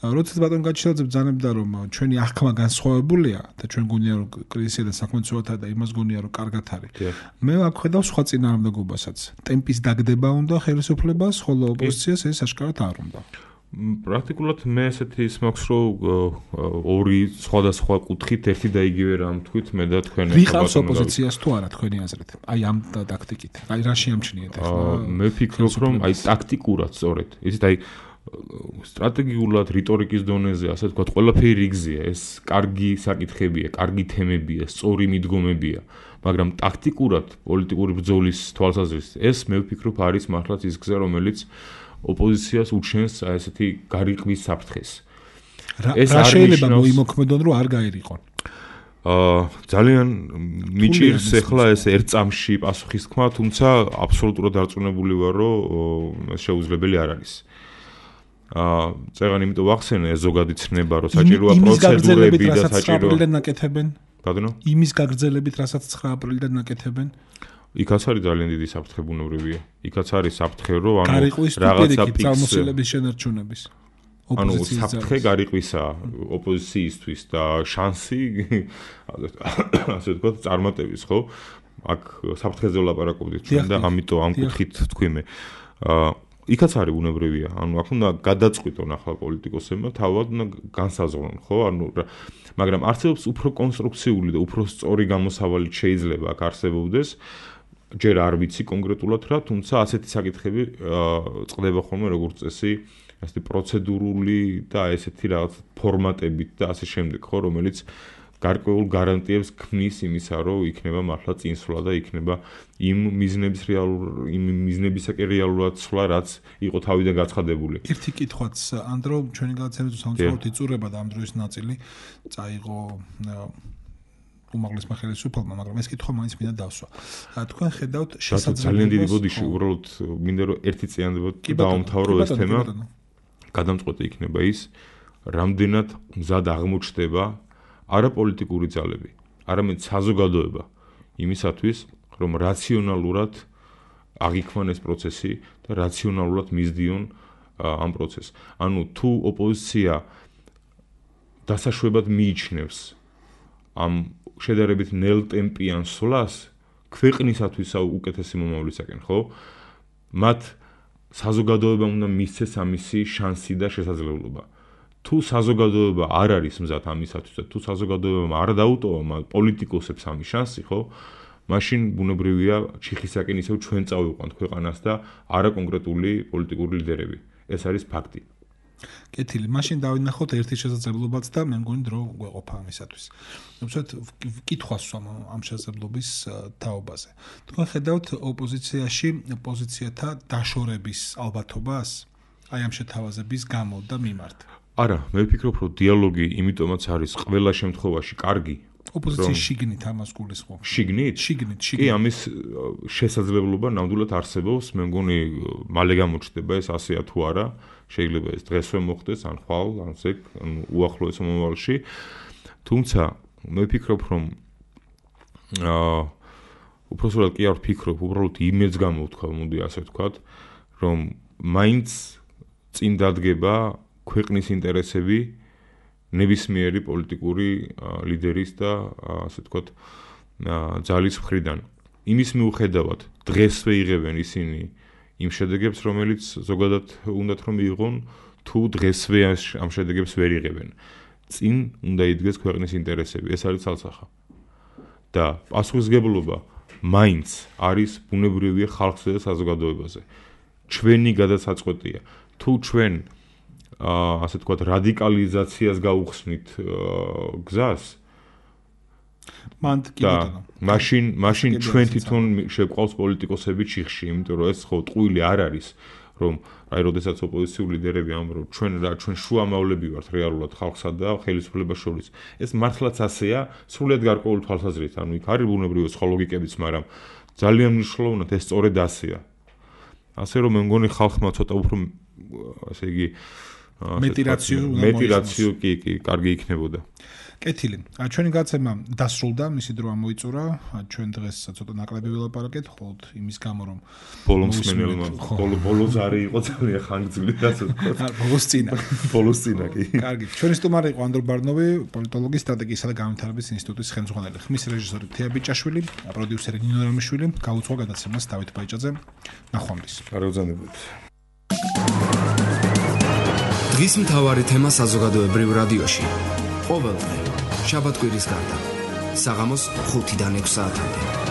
როდესაც ბატონ გაჩილაძე ბრძანებდა, რომ ჩვენი აღქმა განსხვავებულია და ჩვენ გონია, რომ კრიზისია და საქმეცხოვათა და იმას გონია, რომ კარგად არის. მე აქ ხედავ სხვა წინააღმდეგობასაც. ტემპის დაგდება უნდა ხელისუფლებას, ხოლო ოპოზიციას ეს აშკარად არ უნდა. პრაქტიკულად მე ესეთი ის მაქვს, რომ ორი სხვადასხვა კუთხით ერთი და იგივე რამ თქვით, მე და თქვენ ვიღავს ოპოზიციას თუ არა თქვენი აზრით? აი ამ ტაქტიკით. აი რა შეამჩნიეთ ახლა? მე ვფიქრობ, რომ აი ტაქტიკურად სწორედ. იცით, აი სტრატეგიულად რიტორიკის დონეზე, ასე ვთქვათ, ყველაფერი რიგზია, ეს კარგი საკითხებია, კარგი თემებია, სწორი მიდგომებია, მაგრამ ტაქტიკურად პოლიტიკური ბრძოლის თვალსაზრისით ეს მე ვფიქრობ არის მართლაც ის გზა, რომელიც ოპოზიციას უჩენს ესეთი გარიყვის საფრთხეს. რა შეიძლება მოიმოქმედონ, რომ არ გაერიყონ? ძალიან მიჭირს ახლა ეს ერთ წამში პასუხის თქმა, თუმცა აბსოლუტურად დარწმუნებული ვარ, რომ ეს შეუძლებელი არ არის. წეგან იმიტომ ვახსენე ეს ზოგადი ცნება, რომ საჭიროა პროცედურები და საჭირო ნაკეთებენ. ბატონო? იმის გაგრძელებით, რასაც 9 აპრილიდან ნაკეთებენ. იქაც არის ძალიან დიდი საფრთხე ბუნებრივია. იქაც არის საფრთხე, რომ რაღაცა წარმოსილების შენარჩუნების. ანუ საფრთხე გარიყვისა ოპოზიციისთვის და შანსი ასე ვთქვათ წარმატების, ხო? აქ საფრთხეზე ვლაპარაკობდით ჩვენ და ამიტომ ამ კუთხით თქვი მე. იქაც არის ბუნებრივია. ანუ აქ უნდა გადაწყვიტონ ახლა პოლიტიკოსებმა, თავად უნდა განსაზღვრონ, ხო? ანუ მაგრამ არსებობს უფრო კონსტრუქციული და უფრო სწორი გამოსავალი შეიძლება აქ არსებობდეს. ჯერ არ ვიცი კონკრეტულად რა, თუმცა ასეთი საკითხები წყდება ხოლმე როგორც წესი, ასეთი პროცედურული და ესეთი რაღაც ფორმატებით და ასე შემდეგ, ხო, რომელიც გარკვეულ გარანტიებს ქმნის იმისა, რომ იქნება მართლა წინსვლა და იქნება იმ მიზნებისაკენ რეალურად სვლა, რაც იყო თავიდან გაცხადებული. ერთი კითხვაც, ანდრო, ჩვენი გადაცემის სამწუხაროდ იწურება და ამ დროის ნაწილი წაიღო უმაღლესმა ხელისუფლებამ, მაგრამ ეს კითხვა მაინც მინდა დავსვა. თქვენ ხედავთ შესაძლებლობას ძალიან დიდი ბოდიში, უბრალოდ მინდა რომ ერთი წინადად დავამთავრო ეს თემა. გადამწყვეტი იქნება ის, რამდენად მზად აღმოჩნდება არა პოლიტიკური ძალები, არამედ საზოგადოება იმისათვის, რომ რაციონალურად აღიქმან ეს პროცესი და რაციონალურად მისდიონ ამ პროცესს. ანუ თუ ოპოზიცია დასაშვებად მიიჩნევს ამ შედარებით ნელტემპიან სვლას ქვეყნისათვის უკეთესი მომავლისაკენ, ხო? მათ საზოგადოებამ უნდა მისცეს ამისი შანსი და შესაძლებლობა. თუ საზოგადოება არ არის მზად ამისათვის და თუ საზოგადოებამ არ დაუტოვა პოლიტიკოსებს ამის შანსი, ხო? მაშინ ბუნებრივია ჩიხისაკენ ისევ ჩვენ წავიყვანთ ქვეყანას და არა კონკრეტული პოლიტიკური ლიდერები. ეს არის ფაქტი. კეთილი, მაშინ დავინახოთ ერთი შესაძლებლობაც და მე მგონი დრო გვეყოფა ამისათვის. უბრალოდ კითხვას ამ შესაძლებლობის თაობაზე. თქვენ ხედავთ ოპოზიციაში პოზიციათა დაშორების ალბათობას აი ამ შეთავაზების გამო და მიმართ? არა, მე ვფიქრობ, რომ დიალოგი იმიტომაც არის ყველა შემთხვევაში კარგი. ოპოზიციის შიგნით ამას გულისხმობ. შიგნით? შიგნით. კი, ამის შესაძლებლობა ნამდვილად არსებობს, მე მგონი მალე გამოჩნდება ეს ასეა თუ არა. შეიძლება ეს დღესვე მოხდეს, ან ხვალ, ან ზეგ, ან უახლოეს მომავალში. თუმცა მე ვფიქრობ, რომ უბრალოდ კი არ ვფიქრობ, უბრალოდ იმედს გამოვთქვა, მოდი ასე ვთქვათ, რომ მაინც წინ დადგება ქვეყნის ინტერესები ნებისმიერი პოლიტიკური ლიდერის და ასე ვთქვათ ძალის მხრიდან. იმის მიუხედავად დღესვე იღებენ ისინი იმ შედეგებს, რომელიც ზოგადად უნდათ რომ მიიღონ, თუ დღესვე ამ შედეგებს ვერ იღებენ. წინ უნდა იდგეს ქვეყნის ინტერესები, ეს არის ცალსახა. და პასუხისმგებლობა მაინც არის ბუნებრივია ხალხზე და საზოგადოებაზე. ჩვენი გადასაწყვეტია. თუ ჩვენ ასე ვთქვათ რადიკალიზაციას გაუხსნით გზას, მაშინ ჩვენ თვითონ შეგვყავს პოლიტიკოსები ჩიხში, იმიტომ რომ ეს ხო ტყუილი არ არის, რომ აი როდესაც ოპოზიციური ლიდერები ამბობენ, ჩვენ შუამავლები ვართ რეალურად ხალხსა და ხელისუფლებას შორის. ეს მართლაც ასეა, სრულიად გარკვეული თვალსაზრისით, ანუ იქ არის ბუნებრივი ლოგიკებიც, მაგრამ ძალიან მნიშვნელოვნად ეს სწორედ ასეა. ასე რომ მე მგონი ხალხმა ცოტა უფრო ასე იგი მეტირაციო კი კარგი იქნებოდა. კეთილი. ჩვენი გაცემა დასრულდა, მისი დრო ამოიწურა. ჩვენ დღეს ცოტა ნაკლები ვილაპარაკეთ, ხოლოდ იმის გამო რომ ბოლოს არის იყო ძალიან ხანგრძლივი ასე ვთქვათ. ბოლოს წინა კი. კარგი. ჩვენი სტუმარი იყო ანდრო ბარნოვი, პოლიტოლოგი, სტრატეგიისა და განვითარების ინსტიტუტის ხელმძღვანელი. ხმის რეჟისორი თეა ბიჭაშვილი, პროდიუსერი ნინო რამიშვილი, გაუძღვა გადაცემას დავით ბაიჭაძე. ნახვამდის. კარგ ბრძანებულით. დღის მთავარი თემა საზოგადოებრივ რადიოში. ყოველდღე, შაბათ-კვირის გარდა, საღამოს 5-დან 6 საათამდე.